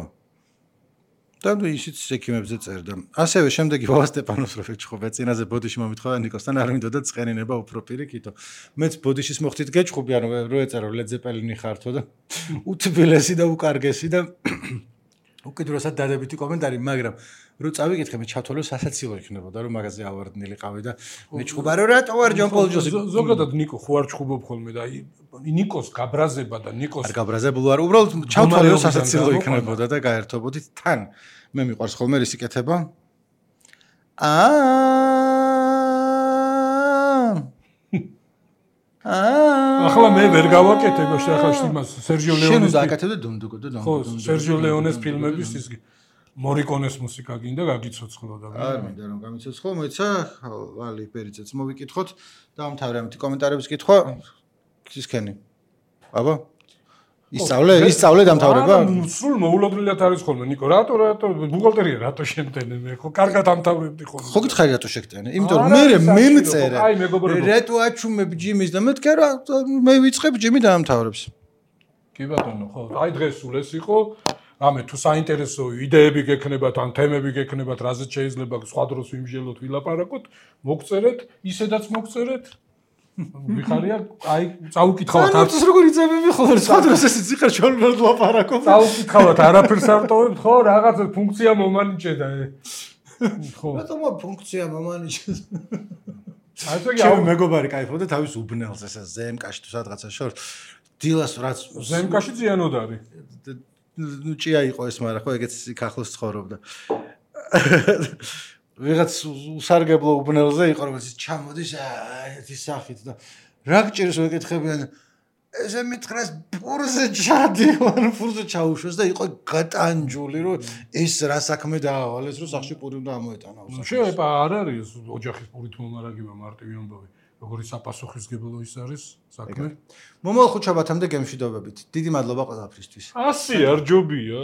და ისიც ექიმებზე წერდა. ასევე შემდეგი ვავა სტეპანოს რო ვეჭხობ, წინაზე ბოდიში მომითხოვა ნიკოსთან არ მინდოდა ცხენინება უფრო პირიქითო. მეც ბოდიშის მოხდით გეჭხობი, ანუ რო ეწერო ლედზეპელინი ხართო და უთბილესი და უკარგესი და უკიდურესად დადებითი კომენტარი, მაგრამ რო წავიკითხე მე ჩათვალე სასაცილო იქნებოდა რომ მაგაზე ავარდნილი ყავი და მეჭხობა რომ რატო არ ჯონ პოლ ჯოსი ზოგადად ნიკო ხო არ ჩხუბობ ხოლმე და ნიკოს გაბრაზება და ნიკოს არ გაბრაზებულ არ უბრალოდ ჩავთვალე რომ სასაცილო იქნებოდა და გაერთობოდით თან მე მიყვარს ხოლმე რის იკეთება ახლა მე ვერ გავაკეთებ ახლა იმას სერჟიო ლეონეს შენ დააკეთებ და დუნდუკო და ხო სერჟიო ლეონეს ფილმების ის მორიკონეს მუსიკა გინდა გაგიცოცხლო და არ მინდა რომ გამიცოცხლო მოიცა ვალი პერიძეც მოვიკითხოთ და ამთავრე ამითი კომენტარების კითხვა ისქენი აბა ისწავლე დამთავრება სულ მოულოდნელად არის ხოლმე ნიკო რატო ბუღალტერია რატო შემტენე მე ხო კარგად ამთავრებდი ხოლმე ხო გითხარი რატო შეგტენე იმიტომ რომ მე მიმწერე რატო აჩუმებ ჯიმის და მეთქე რა მე ვიწყებ ჯიმი დაამთავრებს კი ბატონო ხო აი დღეს სულ ეს იყო ამე თუ საინტერესო იდეები გექნებათ ან თემები გექნებათ რაზეც შეიძლება სხვა დროს ვიმჟელოთ ვილაპარაკოთ მოგწერეთ ისედაც მოგწერეთ ვიხარია, აი, წაუკითხავთ არც როგორ იწებები ხოლმე, სხვა დროს ესე ციხარ ჩოლმერ ლაპარაკობ. წაუკითხავთ, არაფერს არ ტოვებთ, ხო, რაღაც ფუნქცია მომანიჭედა. ხო. რატომ ფუნქცია მომანიჭეს? აი ესე იგი, ჩემი მეგობარი кайფობდა თავის უბნელს ესე ზემკაში თუ სადღაცა შორს. დილას რაც ზემკაში ზიანოდ არის. ნუ ჭია იყო ეს, მაგრამ ხო ეგეც იქ ახლოს ცხოვრობდა. ვიღაც უსარგებლო უბნელზე იყო, რომელიც ჩამოდის ერთი სახით და რა გჭირს ვეკითხებიან ესე მითხრას პურზე ჩადივარ, პურზე ჩაუშვეს და იყო გატანჯული, რომ ეს რა საქმე დაავალეს, რომ სახში პური უნდა ამოეტანა. შეიძლება არ არის ოჯახის პურით მომარაგება მარტივი ამბავი. როგორი საპასუხისმგებლო ის არის საქმე. მომავალ ხუთშაბათამდე გემშვიდობებით. დიდი მადლობა ყველაფრისთვის. 100 არ ჯობია.